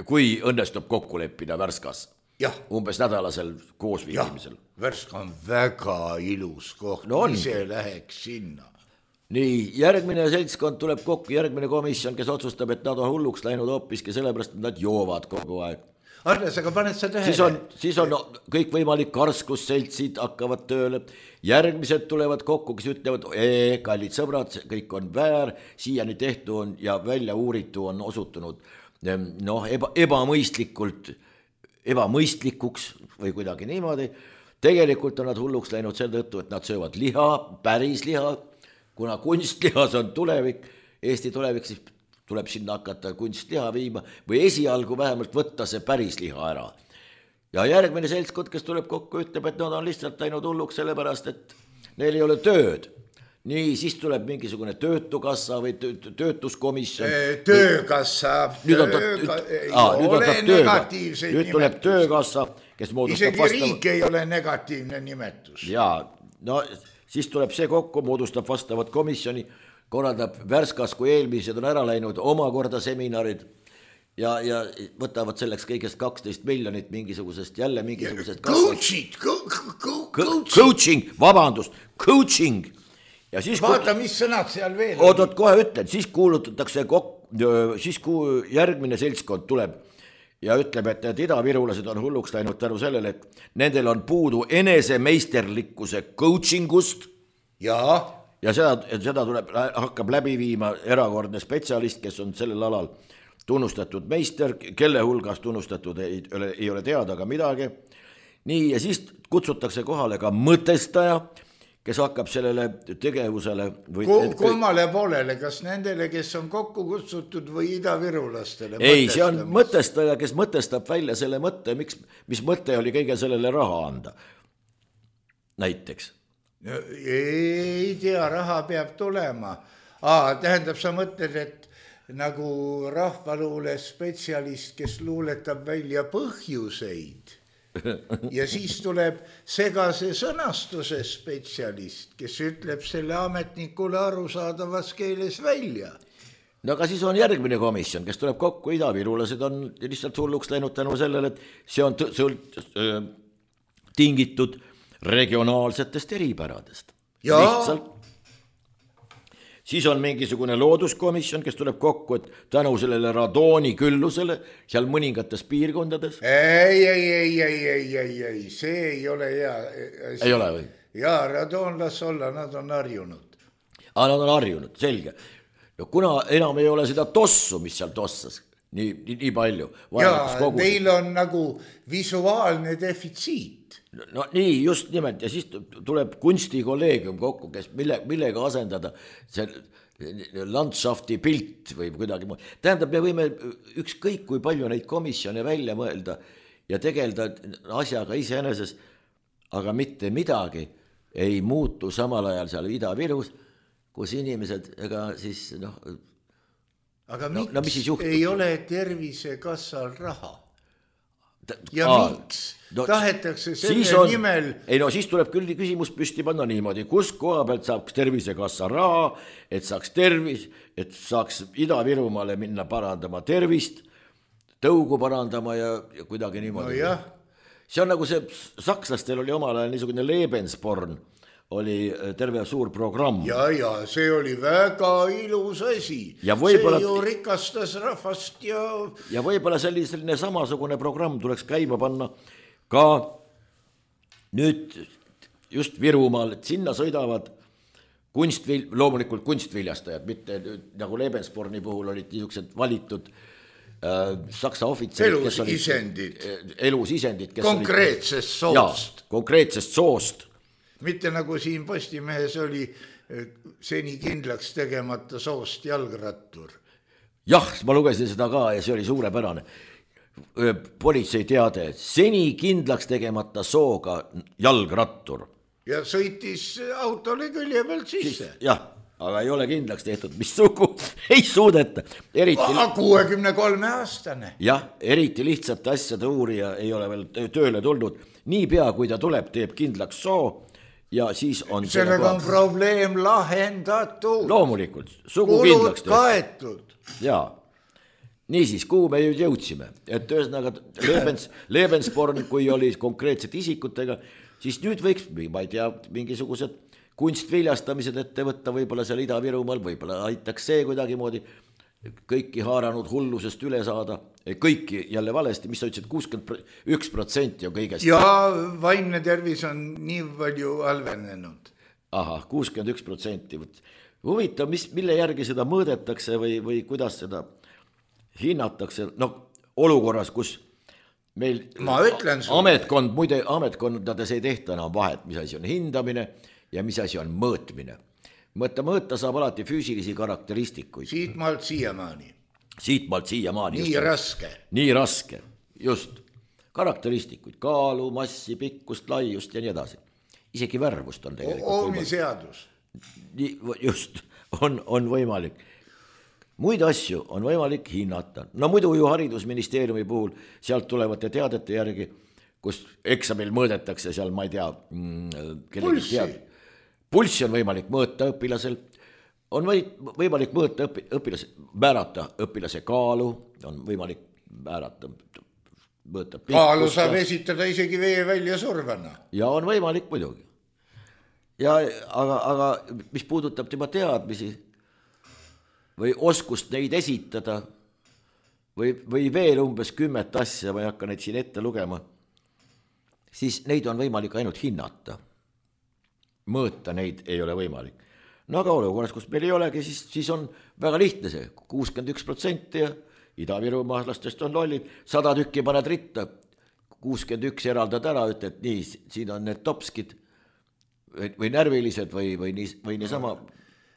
Kui õnnestub kokku leppida Värskas. Jah. Umbes nädalasel koosviibimisel. Värska on väga ilus koht, no ise läheks sinna. Nii, järgmine seltskond tuleb kokku, järgmine komisjon, kes otsustab, et nad on hulluks läinud hoopiski sellepärast, et nad joovad kogu aeg. Arnes, aga paned sa tähele? Siis on, siis on no, kõik võimalik karskusseltsid hakkavad tööle. Järgmised tulevad kokku, kes ütlevad, ee, kallid sõbrad, kõik on väär, siiani tehtu on ja välja uuritu on osutunud noh, eba, ebamõistlikult, ebamõistlikuks või kuidagi niimoodi. Tegelikult on nad hulluks läinud selle tõttu, et nad söövad liha, päris liha, kuna kunstlihas on tulevik, Eesti tulevik, siis tuleb sinna hakata kunstliha viima või esialgu vähemalt võtta see päris liha ära. Ja järgmine seltskond, kes tuleb kokku, ütleb, et nad on lihtsalt läinud hulluks sellepärast, et neil ei ole tööd. Nii, siis tuleb mingisugune töötukassa või töötuskomisjon. Töökassa, nüüd on ta, ei aa, nüüd ole negatiivseid nüüd tuleb nimetus. Töökassa, kes moodustab isegi vastava... riik ei ole negatiivne nimetus. Jaa, no siis tuleb see kokku, moodustab vastavat komisjoni, korraldab Värskas, kui eelmised on ära läinud, omakorda seminarid ja, ja võtavad selleks kõigest kaksteist miljonit mingisugusest, jälle mingisugusest coaching, coaching, coaching, vabandust, coaching. Ja siis vaata, mis sõnad seal veel on. Oot, kohe ütlen, siis kuulutatakse kok... siis kui järgmine seltskond tuleb ja ütleb, et need idavirulased on hulluks läinud tänu sellele, et nendel on puudu enesemeisterlikkuse coachingust ja, ja seda, seda tuleb, hakkab läbi viima erakordne spetsialist, kes on sellel alal tunnustatud meister, kelle hulgas tunnustatud ei, ei ole teada ka midagi. Nii, ja siis kutsutakse kohale ka mõtestaja, kes hakkab sellele tegevusele või kummale poolele, kas nendele, kes on kokku kutsutud või idavirulastele? Ei, see on mõtestaja, kes mõtestab välja selle mõtte, miks, mis mõte oli kõige sellele raha anda. Näiteks. No, ei tea, raha peab tulema. Aa, tähendab, sa mõtled, et nagu rahvaluule spetsialist, kes luuletab välja põhjuseid ja siis tuleb segase sõnastuse spetsialist, kes ütleb selle ametnikule arusaadavas keeles välja. No aga siis on järgmine komisjon, kes tuleb kokku, idavirulased on lihtsalt hulluks läinud tänu sellele, et see on sõlt, äh, tingitud regionaalsetest eripäradest. Ja. Lihtsalt. Siis on mingisugune looduskomisjon, kes tuleb kokku, et tänu sellele radooni küllusele seal mõningates piirkondades. Ei, ei, ei, ei, ei, ei, ei, see ei ole hea. Ei ole või? Jaa, radoon las olla, nad on harjunud. Aa, nad on harjunud, selge. No kuna enam ei ole seda tossu, mis seal tossas, nii, nii, nii palju. Jaa, neil on nagu visuaalne defitsiit. No nii, just nimelt, ja siis tuleb kunstikolleegium kokku, kes mille, millega asendada see landschafti pilt või kuidagi muud. Tähendab, me võime ükskõik kui palju neid komisjone välja mõelda ja tegelda asjaga iseeneses, aga mitte midagi ei muutu samal ajal seal Ida-Virus, kus inimesed, ega siis noh... Aga no, miks no, ei ole Tervisekassal raha? Ja Aa, miks no, tahetakse selle on, nimel... Ei no siis tuleb küll küsimus püsti panna niimoodi, kus koha pealt saaks Tervisekassa raha, et saaks tervis, et saaks Ida-Virumaale minna parandama tervist, tõugu parandama ja, ja kuidagi niimoodi. No jah. See on nagu see, sakslastel oli omal ajal niisugune Lebensborn, oli terve suur programm. Ja, ja see oli väga ilus asi. Ja võibolla... See ju rikastas rahvast ja... Ja võibolla selline samasugune programm tuleks käima panna ka nüüd just Virumaal, et sinna sõidavad kunstvil... loomulikult kunstviljastajad, mitte nagu Lebensborni puhul olid niisugused valitud äh, saksa ohvitserid, kes olid isendid. Elusisendid. Kes konkreetsest olid, soost. Ja, konkreetsest soost. Mitte nagu siin Postimehes oli seni kindlaks tegemata soost jalgrattur. Jah, ma lugesin seda ka ja see oli suurepärane. Politsei teade, seni kindlaks tegemata sooga jalgrattur. Ja sõitis autole külje pealt sisse. Jah, aga ei ole kindlaks tehtud, mis sugu ei suudeta. Eriti... kuuekümne kolme aastane. Jah, eriti lihtsate asjade uurija ei ole veel tööle tulnud. Nii pea, kui ta tuleb, teeb kindlaks soo. Ja siis on sellega on probleem lahendatud. Loomulikult, sugu kindlaks tehtud. Kaetud. Jaa. Niisiis, kuhu me jõudsime? Et ühesõnaga Lebens, Lebensborn, kui oli konkreetsed isikutega, siis nüüd võiks, ma ei tea, mingisugused kunstviljastamised ette võtta, võib-olla seal Ida-Virumaal, võib-olla aitaks see kuidagi moodi kõiki haaranud hullusest üle saada, kõiki jälle valesti, mis sa ütlesid, kuuskümmend üks protsenti on kõigest. Ja vaimne tervis on nii palju halvenenud. Aha, kuuskümmend üks protsenti. Huvitav, mis, mille järgi seda mõõdetakse või, või kuidas seda hinnatakse, no olukorras, kus meil ametkond, muide ametkondades ei tehta enam vahet, mis asi on hindamine ja mis asi on mõõtmine. Mõõta, mõõta saab alati füüsilisi karakteristikuid. Siit maalt siiamaani. Siit maalt siiamaani. Nii just, raske. Nii raske, just. Karakteristikuid, kaalu, massi, pikkust, laiust ja nii edasi. Isegi värvust on tegelikult. Oomi seadus. Nii, just, on, on võimalik. Muid asju on võimalik hinnata. No muidu ju haridusministeeriumi puhul sealt tulevate teadete järgi, kus eksamil mõõdetakse seal, ma ei tea, pulssi. Pulssi on võimalik mõõta õpilasel, on võimalik mõõta õpi, õpilase, määrata õpilase kaalu, on võimalik määrata mõõta pikkust. Kaalu saab esitada isegi vee välja survana. Ja on võimalik muidugi. Ja, aga, aga mis puudutab tema teadmisi või oskust neid esitada, või, või veel umbes kümmet asja, ma ei hakka neid siin ette lugema, siis neid on võimalik ainult hinnata. Mõõta neid ei ole võimalik. No aga olukorras, kus meil ei olegi, siis, siis on väga lihtne see, kuuskümmend üks protsenti ja Ida-Virumaalastest on lollid, sada tükki paned ritta, kuuskümmend üks eraldad ära, ütled, et nii, siin on need topskid või, või närvilised või, või, nii, või niisama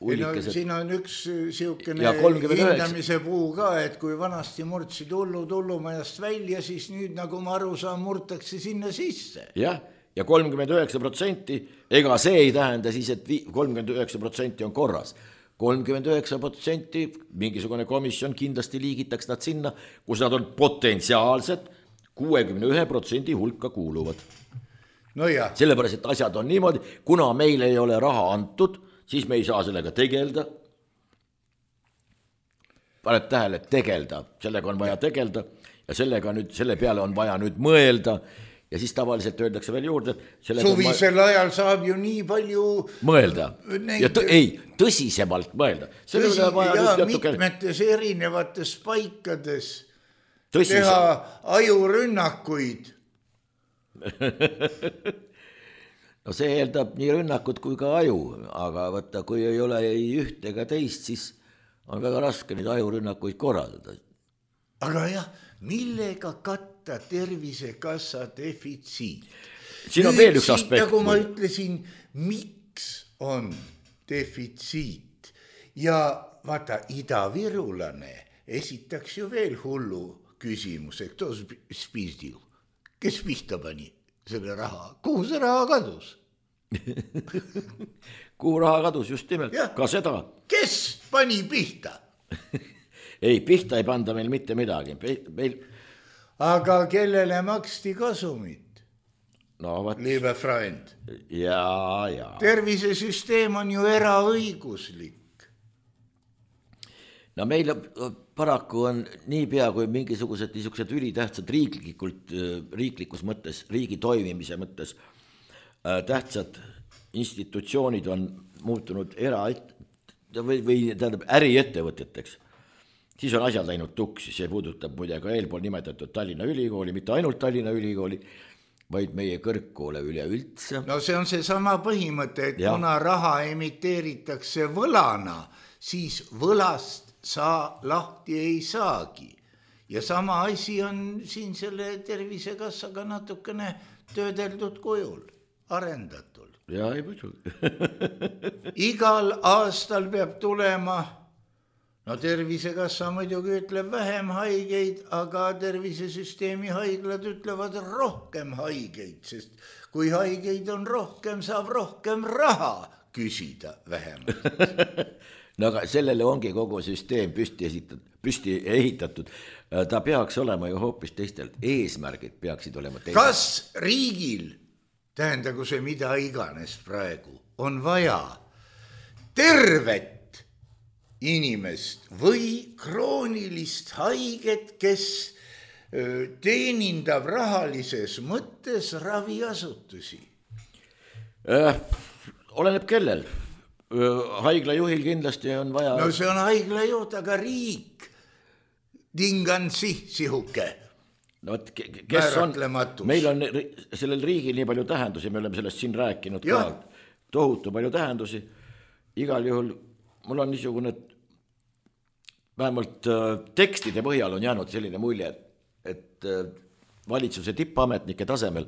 No, siin on üks siukene hindamise puu ka, et kui vanasti murdsid hullu tullumajast välja, siis nüüd nagu ma aru saan, murtakse sinna sisse. Jah, ja kolmkümmend üheksa protsenti, ega see ei tähenda siis, et kolmkümmend üheksa protsenti on korras. kolmkümmend üheksa protsenti mingisugune komisjon kindlasti liigitaks nad sinna, kus nad on potentsiaalsed kuuekümne ühe protsendi hulka kuuluvad. No jah. Sellepärast, et asjad on niimoodi, kuna meil ei ole raha antud, siis me ei saa sellega tegelda. Paned tähele, tegelda, sellega on vaja tegelda ja sellega nüüd, selle peale on vaja nüüd mõelda ja siis tavaliselt öeldakse veel juurde, et suvisel ma... ajal saab ju nii palju mõelda neid... ja tõ... ei, tõsisemalt mõelda. Tõsi, ja mitmetes erinevates paikades Tõsise. Teha ajurünnakuid. No see eeldab nii rünnakut kui ka aju, aga võtta, kui ei ole ei üht ega teist, siis on väga raske neid ajurünnakuid korraldada. Aga jah, millega katta Tervisekassa defitsiit? Siin on Nüüd veel üks aspekt. Nagu ma ütlesin, miks on defitsiit? Ja vaata, idavirulane esitaks ju veel hullu küsimuse, kto spizdil, kes pihta pani selle raha, kuhu see raha kadus? Kuhu raha kadus, just nimelt, ja. Ka seda. Kes pani pihta? Ei, pihta ei panda meil mitte midagi. Meil... Aga kellele maksti kasumit? No, vat... Liebe Freund. Ja, ja. Tervisesüsteem on ju eraõiguslik. No meil paraku on nii pea, kui mingisugused niisugused ülitähtsad riiklikult, riiklikus mõttes, riigi toimimise mõttes tähtsad institutsioonid on muutunud era- või, või tähendab äriettevõteteks. Siis on asjad läinud tuksi, see puudutab muide ka eelpool nimetatud Tallinna Ülikooli, mitte ainult Tallinna Ülikooli, vaid meie kõrgkoole üleüldse. No see on see sama põhimõte, et ja. Kuna raha emiteeritakse võlana, siis võlast sa lahti ei saagi. Ja sama asi on siin selle Tervisekassaga natukene töödeldud kujul, arendatul. Ja ei muidu. Igal aastal peab tulema, no Tervisekassa muidugi ütleb vähem haigeid, aga tervisesüsteemi haiglad ütlevad rohkem haigeid, sest kui haigeid on rohkem, saab rohkem raha küsida vähemalt. No aga sellele ongi kogu süsteem püsti, esitatud, püsti ehitatud. Ta peaks olema ju hoopis teistelt. Eesmärgid peaksid olema teised. Kas riigil, tähendagu see mida iganes praegu, on vaja tervet inimest või kroonilist haiget, kes teenindab rahalises mõttes raviasutusi? Äh, oleneb kellel. Haigla juhil kindlasti on vaja... No see on haigla juht, aga riik tingan si, sihuke no, kes on, meil on sellel riigil nii palju tähendusi, me oleme sellest siin rääkinud ja. Ka, tohutu palju tähendusi. Igal juhul mul on niisugune, vähemalt tekstide põhjal on jäänud selline mulje, et valitsuse tippametnike tasemel,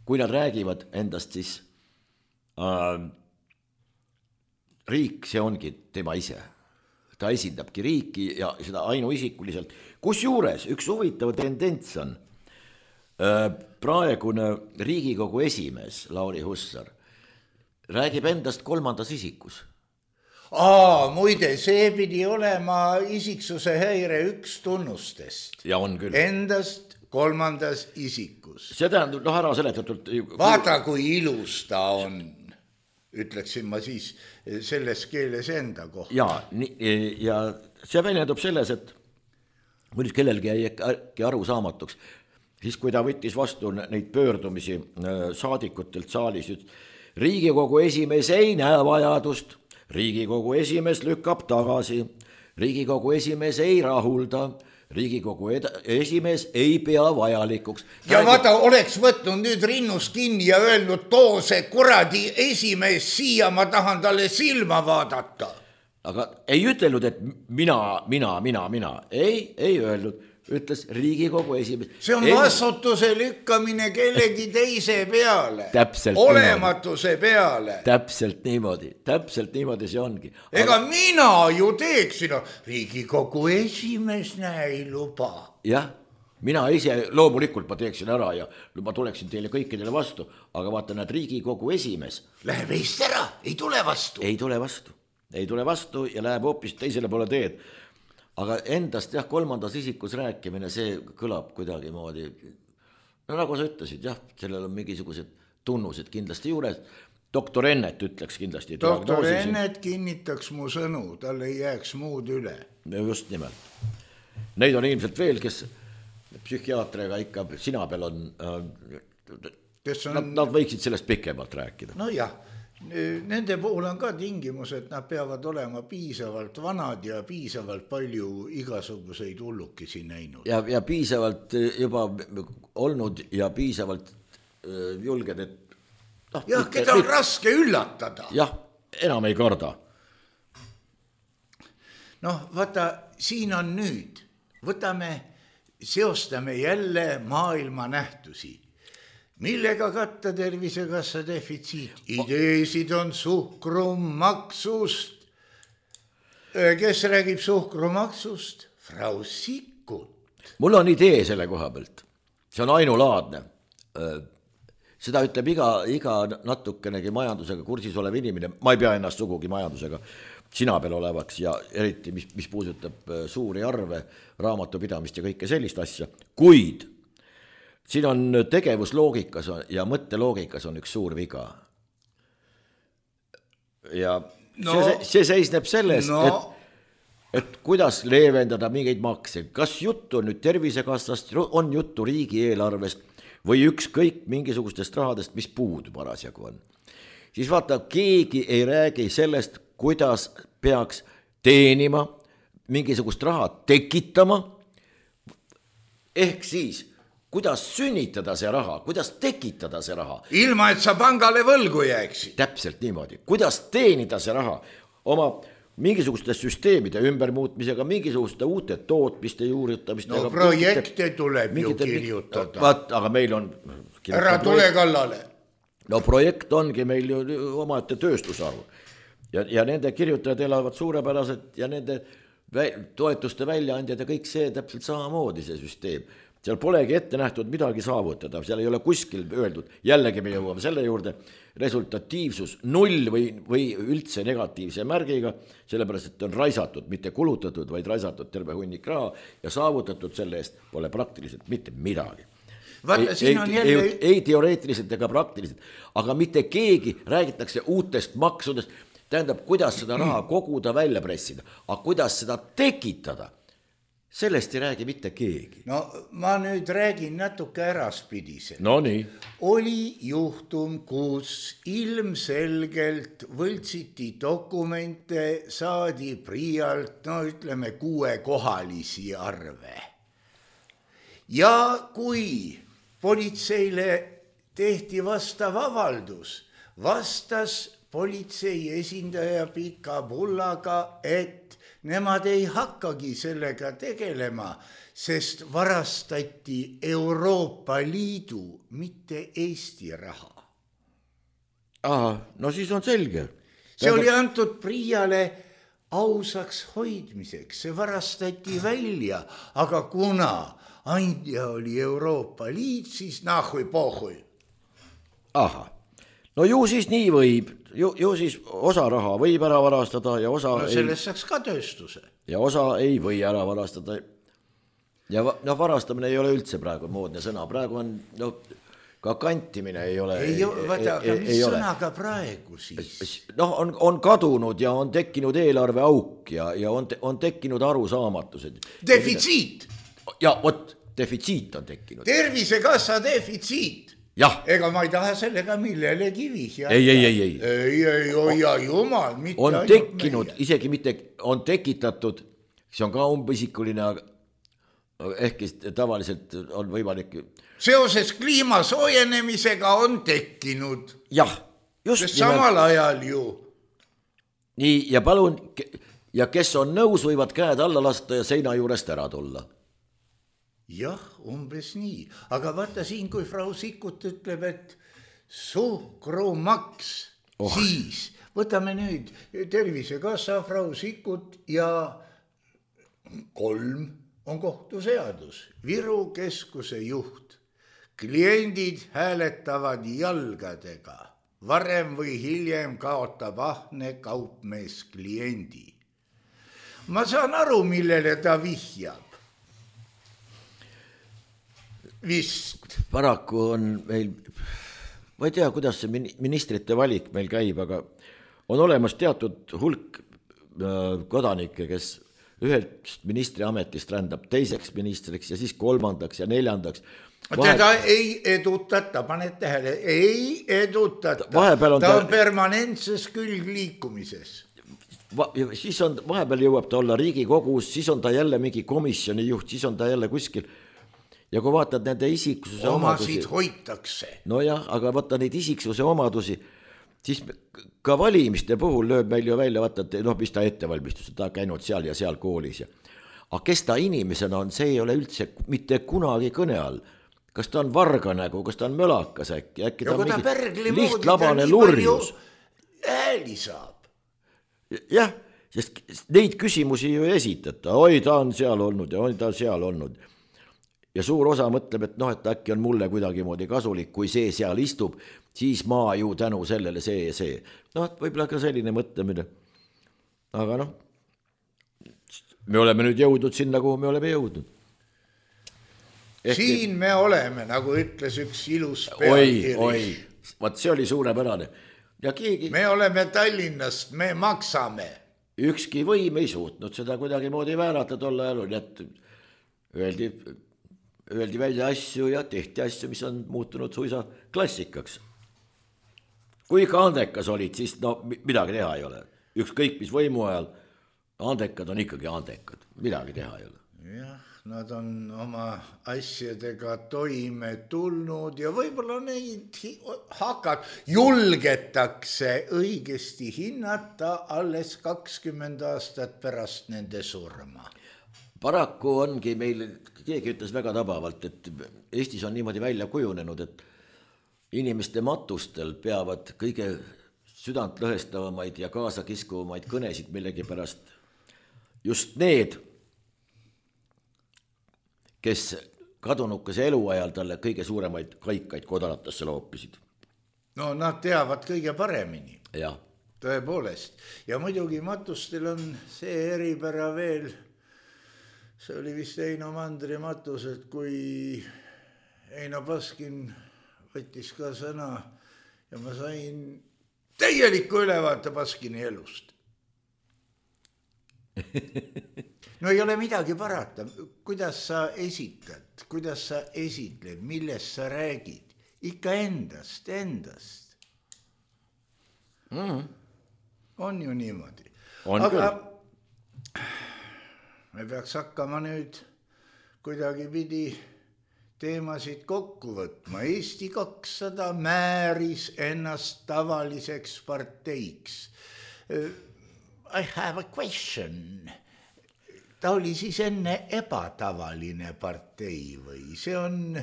kui nad räägivad endast, siis äh, riik, see ongi tema ise. Ta esindabki riiki ja seda ainuisikuliselt. Kus juures üks huvitav tendents on praegune Riigikogu esimees Lauri Hussar räägib endast kolmandas isikus. Aa, muide, see pidi olema isiksuse häire üks tunnustest. Ja on küll. Endast kolmandas isikus. See tähendab, noh ära seletatult... Vaata, kui ilus ta on. Ütleksin ma siis selles keeles enda kohta. Ja, ja see väljendub selles, et mõnus kellelgi jäi aru saamatuks, siis kui ta võttis vastu neid pöördumisi saadikutelt saalis, Riigikogu esimees ei näe vajadust, Riigikogu esimees lükkab tagasi, Riigikogu esimees ei rahulda, Riigikogu esimees ei pea vajalikuks. Ja Räägi... vaata, oleks võtnud nüüd rinnust kinni ja öelnud, too see kuradi esimees siia, ma tahan talle silma vaadata. Aga ei ütelnud, et mina, mina, mina, mina. Ei, ei öelnud. Ütles Riigikogu esimees. See on ei... vastutuse lükkamine kellegi teise peale. Täpselt olematuse niimoodi. Peale. Täpselt niimoodi. Täpselt niimoodi see ongi. Ega Aga... mina ju teeksin. Riigikogu esimees näe ei luba. Jah, mina ise loomulikult ma teeksin ära ja ma tuleksin teile kõikidele vastu. Aga vaata, näed, Riigikogu esimees. Läheb eest ära, ei tule vastu. Ei tule vastu. Ei tule vastu ja läheb hoopis teisele poole teed. Aga endast jah, kolmandas isikus rääkimine, see kõlab kuidagi moodi, no nagu sa ütlesid, jah, sellel on mingisugused tunnused kindlasti juures. Doktor Ennet ütleks kindlasti. Doktor Ennet kinnitaks mu sõnu, tal ei jääks muud üle. Just nimelt. Neid on ilmselt veel, kes psühhiaatriga ikka sina peal on, kes on... Nad, nad võiksid sellest pikemalt rääkida. No jah. Nende puhul on ka tingimus, et nad peavad olema piisavalt vanad ja piisavalt palju igasuguseid hullukesi näinud. Ja, ja piisavalt juba olnud ja piisavalt julged, et... No, jah, mitte, keda on mitte... raske üllatada. Jah, enam ei karda. Noh, vaata, siin on nüüd. Võtame, seostame jälle maailma nähtusi. Millega katta Tervisekassa defitsiit? Ideesid on suhkrumaksust. Kes räägib suhkrumaksust? Frau Sikkut. Mul on idee selle koha pealt. See on ainulaadne. Seda ütleb iga, iga natukenegi majandusega kursis olev inimene. Ma ei pea ennast sugugi majandusega sina peal olevaks ja eriti, mis, mis puudutab suuri arve, raamatupidamist ja kõike sellist asja. Kuid siin on tegevusloogikas ja mõtteloogikas on üks suur viga. Ja no, see, see seisneb selles, no. et, et kuidas leevendada mingeid makse. Kas juttu nüüd Tervisekassast, on juttu riigieelarvest või ükskõik mingisugustest rahadest, mis puudu parasjagu on. Siis vaata, keegi ei räägi sellest, kuidas peaks teenima, mingisugust raha tekitama, ehk siis kuidas sünnitada see raha, kuidas tekitada see raha. Ilma, et sa pangale võlgu jääksid. Täpselt niimoodi. Kuidas teenida see raha oma mingisuguste süsteemide ümbermuutmisega, mingisuguste uute tootmiste juurutamist. No projekte tuleb mingite, ju kirjutada. Vaat, aga meil on... Ära tule kallale. No projekt ongi meil ju omaette tööstusharu. Ja, ja nende kirjutajad elavad suurepäraselt ja nende toetuste väljaandjad ja kõik see täpselt samamoodi see süsteem. Seal polegi ette nähtud midagi saavutada, seal ei ole kuskil öeldud, jällegi me jõuame selle juurde, resultatiivsus null või, või üldse negatiivse märgiga, sellepärast, et on raisatud, mitte kulutatud, vaid raisatud terve hunnik raha ja saavutatud selle eest pole praktiliselt mitte midagi. Vaata, ei, on ei, jälle... ei, ei teoreetiliselt ega praktiliselt, aga mitte keegi räägitakse uutest maksudest, tähendab, kuidas seda raha koguda, välja pressida, aga kuidas seda tekitada. Sellest ei räägi mitte keegi. No ma nüüd räägin natuke äraspidiselt. No nii. Oli juhtum, kus ilmselgelt võltsiti dokumente, saadi priialt, no ütleme, kuuekohalisi arve. Ja kui politseile tehti vastav avaldus, vastas politsei esindaja Pika Pullaga, et nemad ei hakkagi sellega tegelema, sest varastati Euroopa Liidu, mitte Eesti raha. Aha, no siis on selge. See oli antud priiale ausaks hoidmiseks, see varastati välja, aga kuna andja oli Euroopa Liit, siis nahui pohui. Aha, no ju siis nii võib. Ju, ju siis osa raha võib ära varastada ja osa no sellest ei, saaks ka tööstuse. Ja osa ei või ära varastada. Ja no varastamine ei ole üldse praegu moodne sõna. Praegu on, no ka kantimine ei ole. Ei, vaata, aga mis sõnaga praegu siis? Noh, on, on kadunud ja on tekkinud eelarve auk ja, ja on, on tekkinud arusaamatused. Defitsiit! Ja vot, defitsiit on tekkinud. Tervisekassa defitsiit. Jah. Ega ma ei taha sellega millelegi vihjata. Ei, ei, ei, ei. Ei, ei, oia jumal. Mitte on tekkinud, meie. Isegi mitte on tekitatud, see on ka umbisikuline, aga ehkki tavaliselt on võimalik. Seoses kliima soojenemisega on tekkinud. Jah, just nimelt. Samal ajal ju. Nii, ja palun, ja kes on nõus, võivad käed alla lasta ja seina juurest ära tulla. Jah, umbes nii. Aga vaata siin, kui Frau Sikkut ütleb, et suhkrumaks, oh. Siis võtame nüüd Tervisekassa, Frau Sikkut ja kolm on kohtuseadus. Viru keskuse juht. Kliendid hääletavad jalgadega. Varem või hiljem kaotab ahne kaupmees kliendi. Ma saan aru, millele ta vihjab. Vist. Paraku on meil, ma ei tea, kuidas see ministrite valik meil käib, aga on olemas teatud hulk kodanikke, kes ühelt ministri ametist rändab teiseks ministriks ja siis kolmandaks ja neljandaks. Vahe... Teda ei edutata, paned tähele, ei edutata. On ta, ta on ta... permanentses külgliikumises. Va... Siis on, vahepeal jõuab ta olla Riigikogus, siis on ta jälle mingi komisjoni juht, siis on ta jälle kuskil. Ja kui vaatad nende isiksuse omadusi... Omasid hoitakse. No jah, aga vaata neid isiksuse omadusi, siis ka valimiste puhul lööb meil ju välja, vaata, et noh, mis ta ettevalmistus, ta käinud seal ja seal koolis. Ja... Aga kes ta inimesena on, see ei ole üldse mitte kunagi kõne all. Kas ta on varga nägu, kas ta on mölakas äkki, äkki ta on mingi lihtlabane lurjus. Ääli saab. Jah, sest neid küsimusi ju ei esitata. Oi, ta on seal olnud ja oi, ta on seal olnud. Ja suur osa mõtleb, et noh, et äkki on mulle kuidagi moodi kasulik, kui see seal istub, siis ma ju tänu sellele see ja see. Noh, võib-olla ka selline mõtlemine. Aga noh, me oleme nüüd jõudnud sinna, kuhu me oleme jõudnud. Ehk... Siin me oleme, nagu ütles üks ilus pealkiri. Oi, oi, vaat see oli suurepärane. Ja keegi... Me oleme Tallinnast, me maksame. Ükski võim ei suutnud seda kuidagi moodi väärata tolle ajal, nii et öeldi... Öeldi välja asju ja tehti asju, mis on muutunud suisa klassikaks. Kui ka andekas olid, siis no midagi teha ei ole. Ükskõik mis võimu ajal, andekad on ikkagi andekad. Midagi teha ei ole. Jah, nad on oma asjadega toime tulnud ja võib-olla neid hakkad julgetakse õigesti hinnata alles kakskümmend aastat pärast nende surma. Paraku ongi meil, keegi ütles väga tabavalt, et Eestis on niimoodi välja kujunenud, et inimeste matustel peavad kõige südant lõhestavamaid ja kaasa kiskuvamaid kõnesid millegi pärast just need, kes kadunukese eluajal talle kõige suuremaid kaikaid kodaratesse loopisid. No nad teavad kõige paremini. Ja. Tõepoolest. Ja muidugi matustel on see eripära veel... See oli vist Eino Mandri matus, et kui Eino Baskin võttis ka sõna ja ma sain täieliku ülevaate Baskini elust. No ei ole midagi parata. Kuidas sa esitad, kuidas sa esitled, millest sa räägid? Ikka endast, endast. Mm. On ju niimoodi. On Aga... küll. Me peaks hakkama nüüd kuidagi pidi teemasid kokku võtma. Eesti kakssada määris ennast tavaliseks parteiks. I have a question. Ta oli siis enne ebatavaline partei või? See on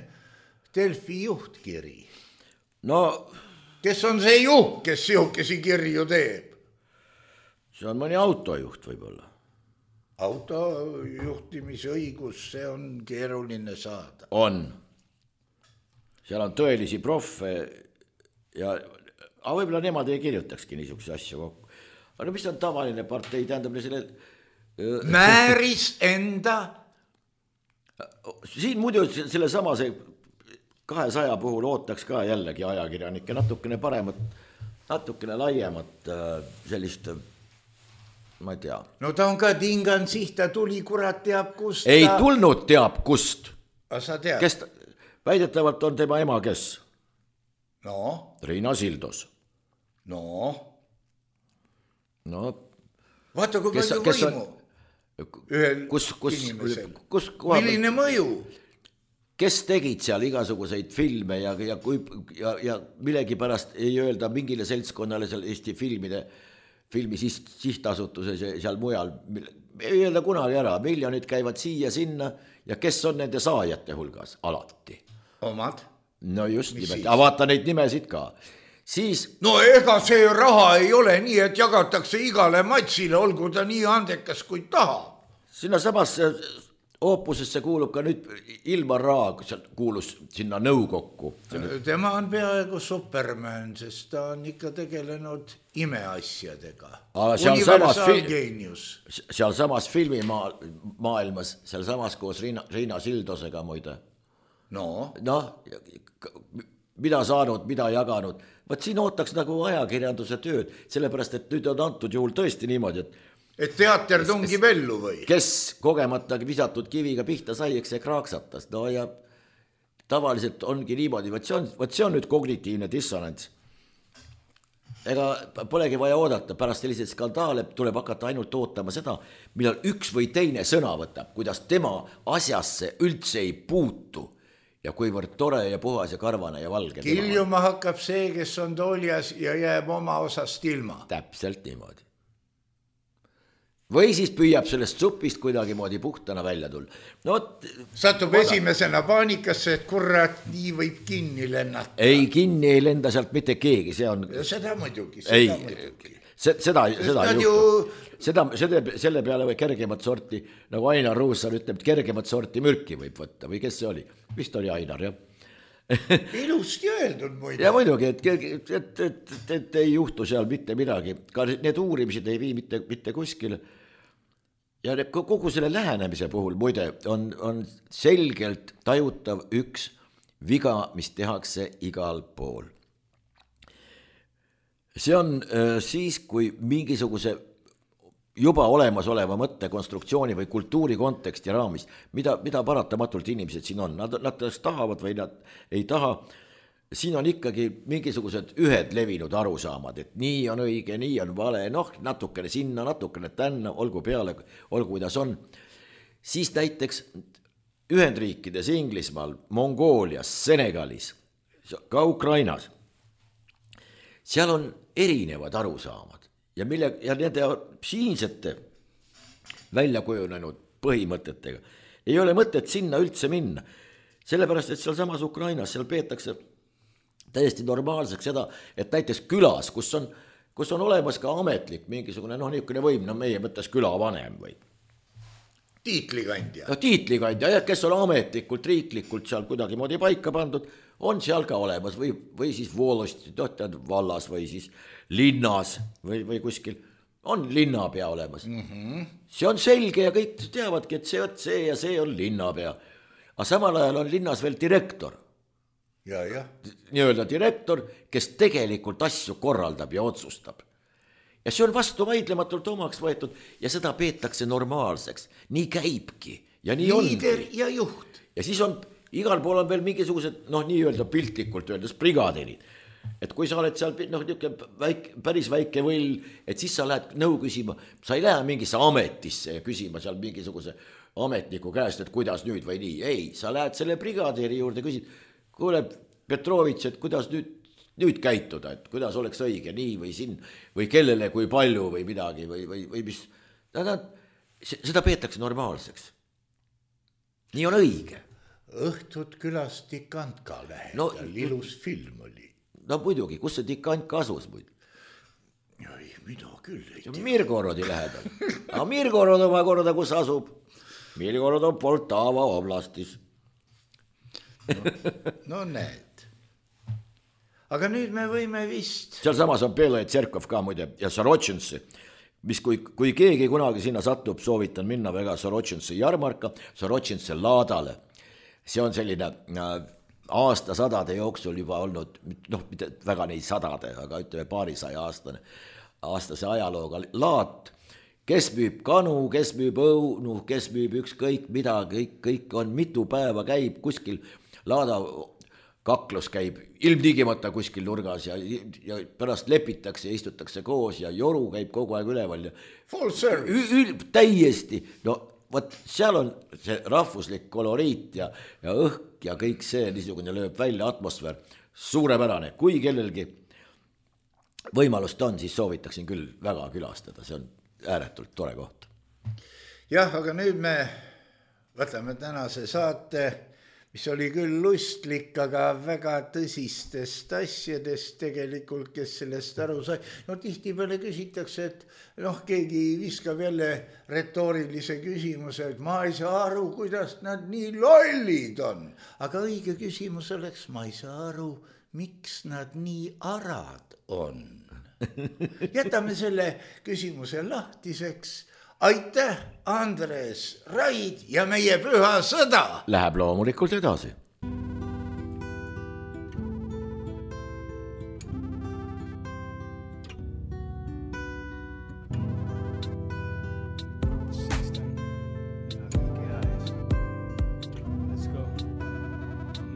Delfi juhtkiri. No... Kes on see juht, kes sihukesi kirju teeb? See on mõni autojuht võib-olla. Autojuhtimisõigus, see on keeruline saada. On. Seal on tõelisi proffe ja aga võib-olla nemad ei kirjutakski niisuguse asja kokku. Aga mis on tavaline partei, tähendab selle... Määris enda? Siin muidu selle sama see kahesaja puhul ootaks ka jällegi ajakirjanikke natukene paremat, natukene laiemat sellist... Ma ei tea. No ta on ka tingan siht, ta tuli kurat teab kust. Ei ta... tulnud teab kust. A sa tead? Kes ta... Väidetavalt on tema ema kes? No? Riina Sildos. No? No? Vaata kui kes, palju kes võimu. ühel kus, kus, inimesel. Kus, kus, milline mõju? Kes tegid seal igasuguseid filme ja, ja, kui, ja, ja millegipärast ei öelda mingile seltskonnale seal Eesti filmide, filmi sihtasutuses ja seal mujal, ei öelda kunagi ära, miljonid käivad siia sinna ja kes on nende saajate hulgas alati? Omad? No just Mis nimelt, aga vaata neid nimesid ka. Siis... No ega see raha ei ole nii, et jagatakse igale matsile, olgu ta nii andekas kui taha. Sinna samasse oopusesse kuulub ka nüüd Ilmar Raag, kuulus sinna nõukokku. Tema on peaaegu Superman, sest ta on ikka tegelenud imeasjadega. Universaalgeenius. Seal samas filmimaailmas, seal samas koos Riina, Riina Sildosega muide. No, no, mida saanud, mida jaganud. Võt siin ootaks nagu ajakirjanduse tööd, sellepärast, et nüüd on antud juhul tõesti niimoodi, et et teater tungib ellu või? Kes kogemata visatud kiviga pihta sai, eks see kraaksatas. No ja tavaliselt ongi niimoodi, võt see on, võt see on nüüd kognitiivne dissonants. Ega polegi vaja oodata, pärast selliseid skandaale tuleb hakata ainult ootama seda, millal üks või teine sõna võtab, kuidas tema asjasse üldse ei puutu. Ja kuivõrd tore ja puhas ja karvane ja valge. Kiljuma hakkab see, kes on tooljas ja jääb oma osast ilma. Täpselt niimoodi. Või siis püüab sellest supist kuidagi moodi puhtana välja tulla. No, satub oda. Esimesena paanikasse, et kurat, nii võib kinni lennata. Ei, kinni ei lenda sealt mitte keegi, see on... Ja seda muidugi, seda ei, muidugi. Seda, seda ei ju... juhtu. Seda, selle, selle peale või kergemat sorti, nagu Ainar Ruussaar ütleb, et kergemat sorti mürki võib võtta, või kes see oli? Vist oli Ainar, jah. Ilusti öeldud muide. Ja muidugi, et, et, et, et, et ei juhtu seal mitte midagi. Ka need uurimised ei vii mitte, mitte kuskile. Ja kogu selle lähenemise puhul muide on, on selgelt tajutav üks viga, mis tehakse igal pool. See on äh, siis, kui mingisuguse juba olemas oleva mõtte konstruktsiooni või kultuuri konteksti raamis, mida, mida paratamatult inimesed siin on, nad, nad tahavad või nad ei taha, siin on ikkagi mingisugused ühed levinud arusaamad, et nii on õige, nii on vale, noh, natukene sinna, natukene tänna, olgu peale, olgu kuidas on. Siis näiteks Ühendriikides, Inglismaal, Mongoolias, Senegalis, ka Ukrainas, seal on erinevad arusaamad ja, mille, ja nende siinsete välja kujunenud põhimõtetega ei ole mõtet sinna üldse minna, sellepärast, et seal samas Ukrainas, seal peetakse täiesti normaalseks seda, et näiteks külas, kus on, kus on olemas ka ametlik mingisugune, noh, niisugune võim, no meie mõttes külavanem või tiitlikandja. No, tiitlikandja, kes on ametlikult, riiklikult seal kuidagi moodi paika pandud, on seal ka olemas või, või siis voolosti, vallas või siis linnas või, või kuskil on linnapea olemas. Mm-hmm. See on selge ja kõik teavadki, et see, see ja see on linnapea. Aga samal ajal on linnas veel direktor. Ja, ja. Nii-öelda direktor, kes tegelikult asju korraldab ja otsustab. Ja see on vastu vaidlematult omaks võetud ja seda peetakse normaalseks. Nii käibki ja nii ongi. Liider ja juht. Ja siis on, igal pool on veel mingisugused, noh, nii-öelda piltlikult öeldes brigaderid. Et kui sa oled seal, noh, väike, päris väike võll, et siis sa lähed nõu küsima, sa ei lähe mingisse ametisse ja küsima seal mingisuguse ametniku käest, et kuidas nüüd või nii. Ei, sa lähed selle brigadeeri juurde, küsid, kuule, Petrovits, et kuidas nüüd, nüüd käituda, et kuidas oleks õige nii või siin, või kellele, kui palju või midagi, või, või, või mis. Seda peetakse normaalseks. Nii on õige. Õhtud külas Tikantka lähedal, no, ilus film oli. No muidugi, kus see Tikantka asus muid? Ei, mida küll ei tea. Mirgorodi lähedal. Aga Mirgorod oma korda, kus asub? Mirgorod on Poltava oblastis. No, no näed. Aga nüüd me võime vist... Seal samas on Bela Tserkov ka muide ja Sorotšinsi, mis kui, kui keegi kunagi sinna satub, soovitan minna väga Sorotšinsi jarmarka, Sorotšinsi laadale. See on selline aastasadade jooksul juba olnud, noh, mitte väga neid sadade, aga ütleme paarisaja aastane, aastase ajalooga laat, kes müüb kanu, kes müüb õunu, kes müüb ükskõik mida, kõik, kõik on mitu päeva käib kuskil laada kaklus käib ilmtingimata kuskil nurgas ja, ja pärast lepitakse ja istutakse koos ja joru käib kogu aeg üleval ja full service. Ül, täiesti, no võt, seal on see rahvuslik koloriit ja, ja õhk ja kõik see niisugune lööb välja atmosfäär, suurepärane, kui kellelgi võimalust on, siis soovitaksin küll väga külastada, see on ääretult tore koht. Jah, aga nüüd me võtame tänase saate, mis oli küll lustlik, aga väga tõsistest asjadest tegelikult, kes sellest aru sai. No tihti peale küsitakse, et noh, keegi viskab jälle retoorilise küsimuse, et ma ei saa aru, kuidas nad nii lollid on. Aga õige küsimus oleks, ma ei saa aru, miks nad nii arad on. Jätame selle küsimuse lahtiseks. Aitäh, Andres Raid ja meie püha sõda! Läheb loomulikult edasi.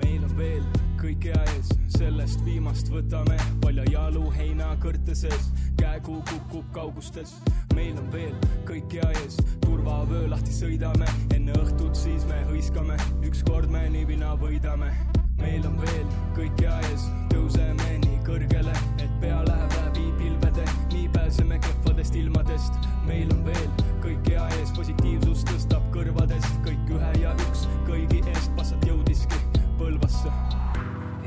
Meil on veel kõik hea ees, sellest viimast võtame palja jalu heina kõrteses, käegu kukub kaugustes. Meil on veel kõik hea ees, turvavöö lahti sõidame, enne õhtut siis me hõiskame, ükskord me niivina võidame. Meil on veel kõik hea ees, tõuseme nii kõrgele, et pea läheb läbi pilvede, nii pääseme kehvadest ilmadest. Meil on veel kõik hea ees, positiivsus tõstab kõrvadest, kõik ühe ja üks kõigi eest passat jõudiski Põlvasse.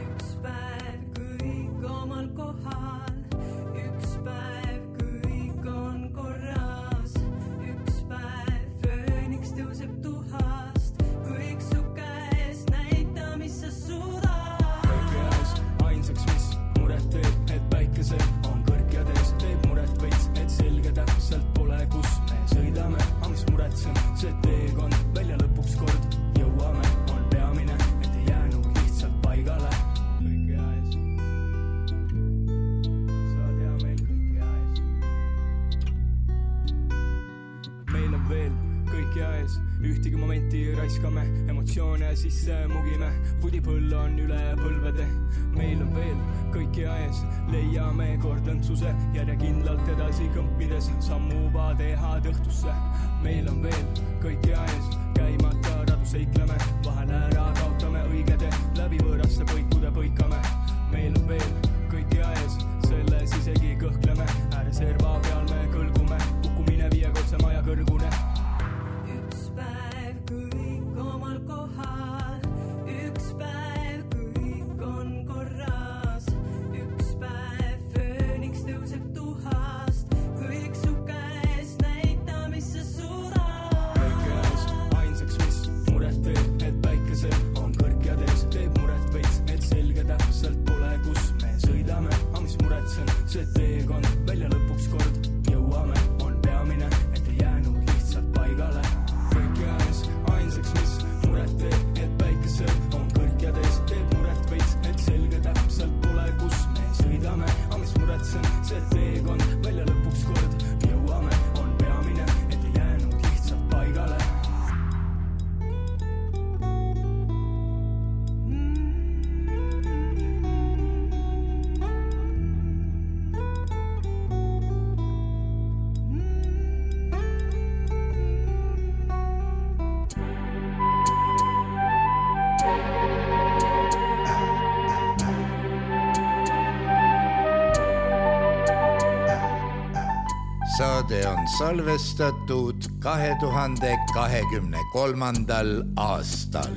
Üks päev kõik omal kohal, üks päev kõik on korras, üks päev fööniks tõuseb tuhast, kõik su käes näita, mis sa suudad. Kõik käes ainsaks, mis muret teeb, et päikesel on kõrgjades, teeb muret veits, et selge täpselt pole, kus me sõidame, aga mis muretsen, see teekond välja lõpuks kord jõuame, on peamine, et ei jäänud lihtsalt paigale. Kõik hea ees, sa tea meil kõik hea ees. Meil on veel kõik hea ees, ühtigi momenti raiskame, emotsioone sisse mugime, pudipõll on üle põlvede. Meil on veel kõik hea ees, leiame kord õndsuse, järjekindlalt edasi kõmpides, sammuva tehad õhtusse. Meil on veel kõik hea ees, käimata radu seikleme, vahel ära kaotame õigede, läbi võõraste põikude põikame. Meil on veel kõik hea ees, selles isegi kõhkleme, ääreserva peal me kõlgume, kukkumine viiekordse maja kõrgune. Üks päev kõik omal kohal, üks päev kõik on korras, üks päev fööniks tõuseb tuhast, kõik su käes näita, mis sa suudad. Kõik käes ainsaks, mis muret teeb, et päikesel on kõrgjades, teeb muret veits, et selge täpselt pole, kus me sõidame, aga mis muretsen, see teekond välja lõpuks kord jõuame, on peamine, et ei jäänud lihtsalt paigale. Kõik käes ainsaks, mis muret teeb, et päikesel on kõrgjades, teeb muret veits, et selge täpselt pole, kus me sõidame, aga mis muretsen, see teekond välja lõpuks kord jõuame, on peamine, et ei jäänud lihtsalt paigale. Saade on salvestatud kahe tuhande kahekümne kolmandal aastal.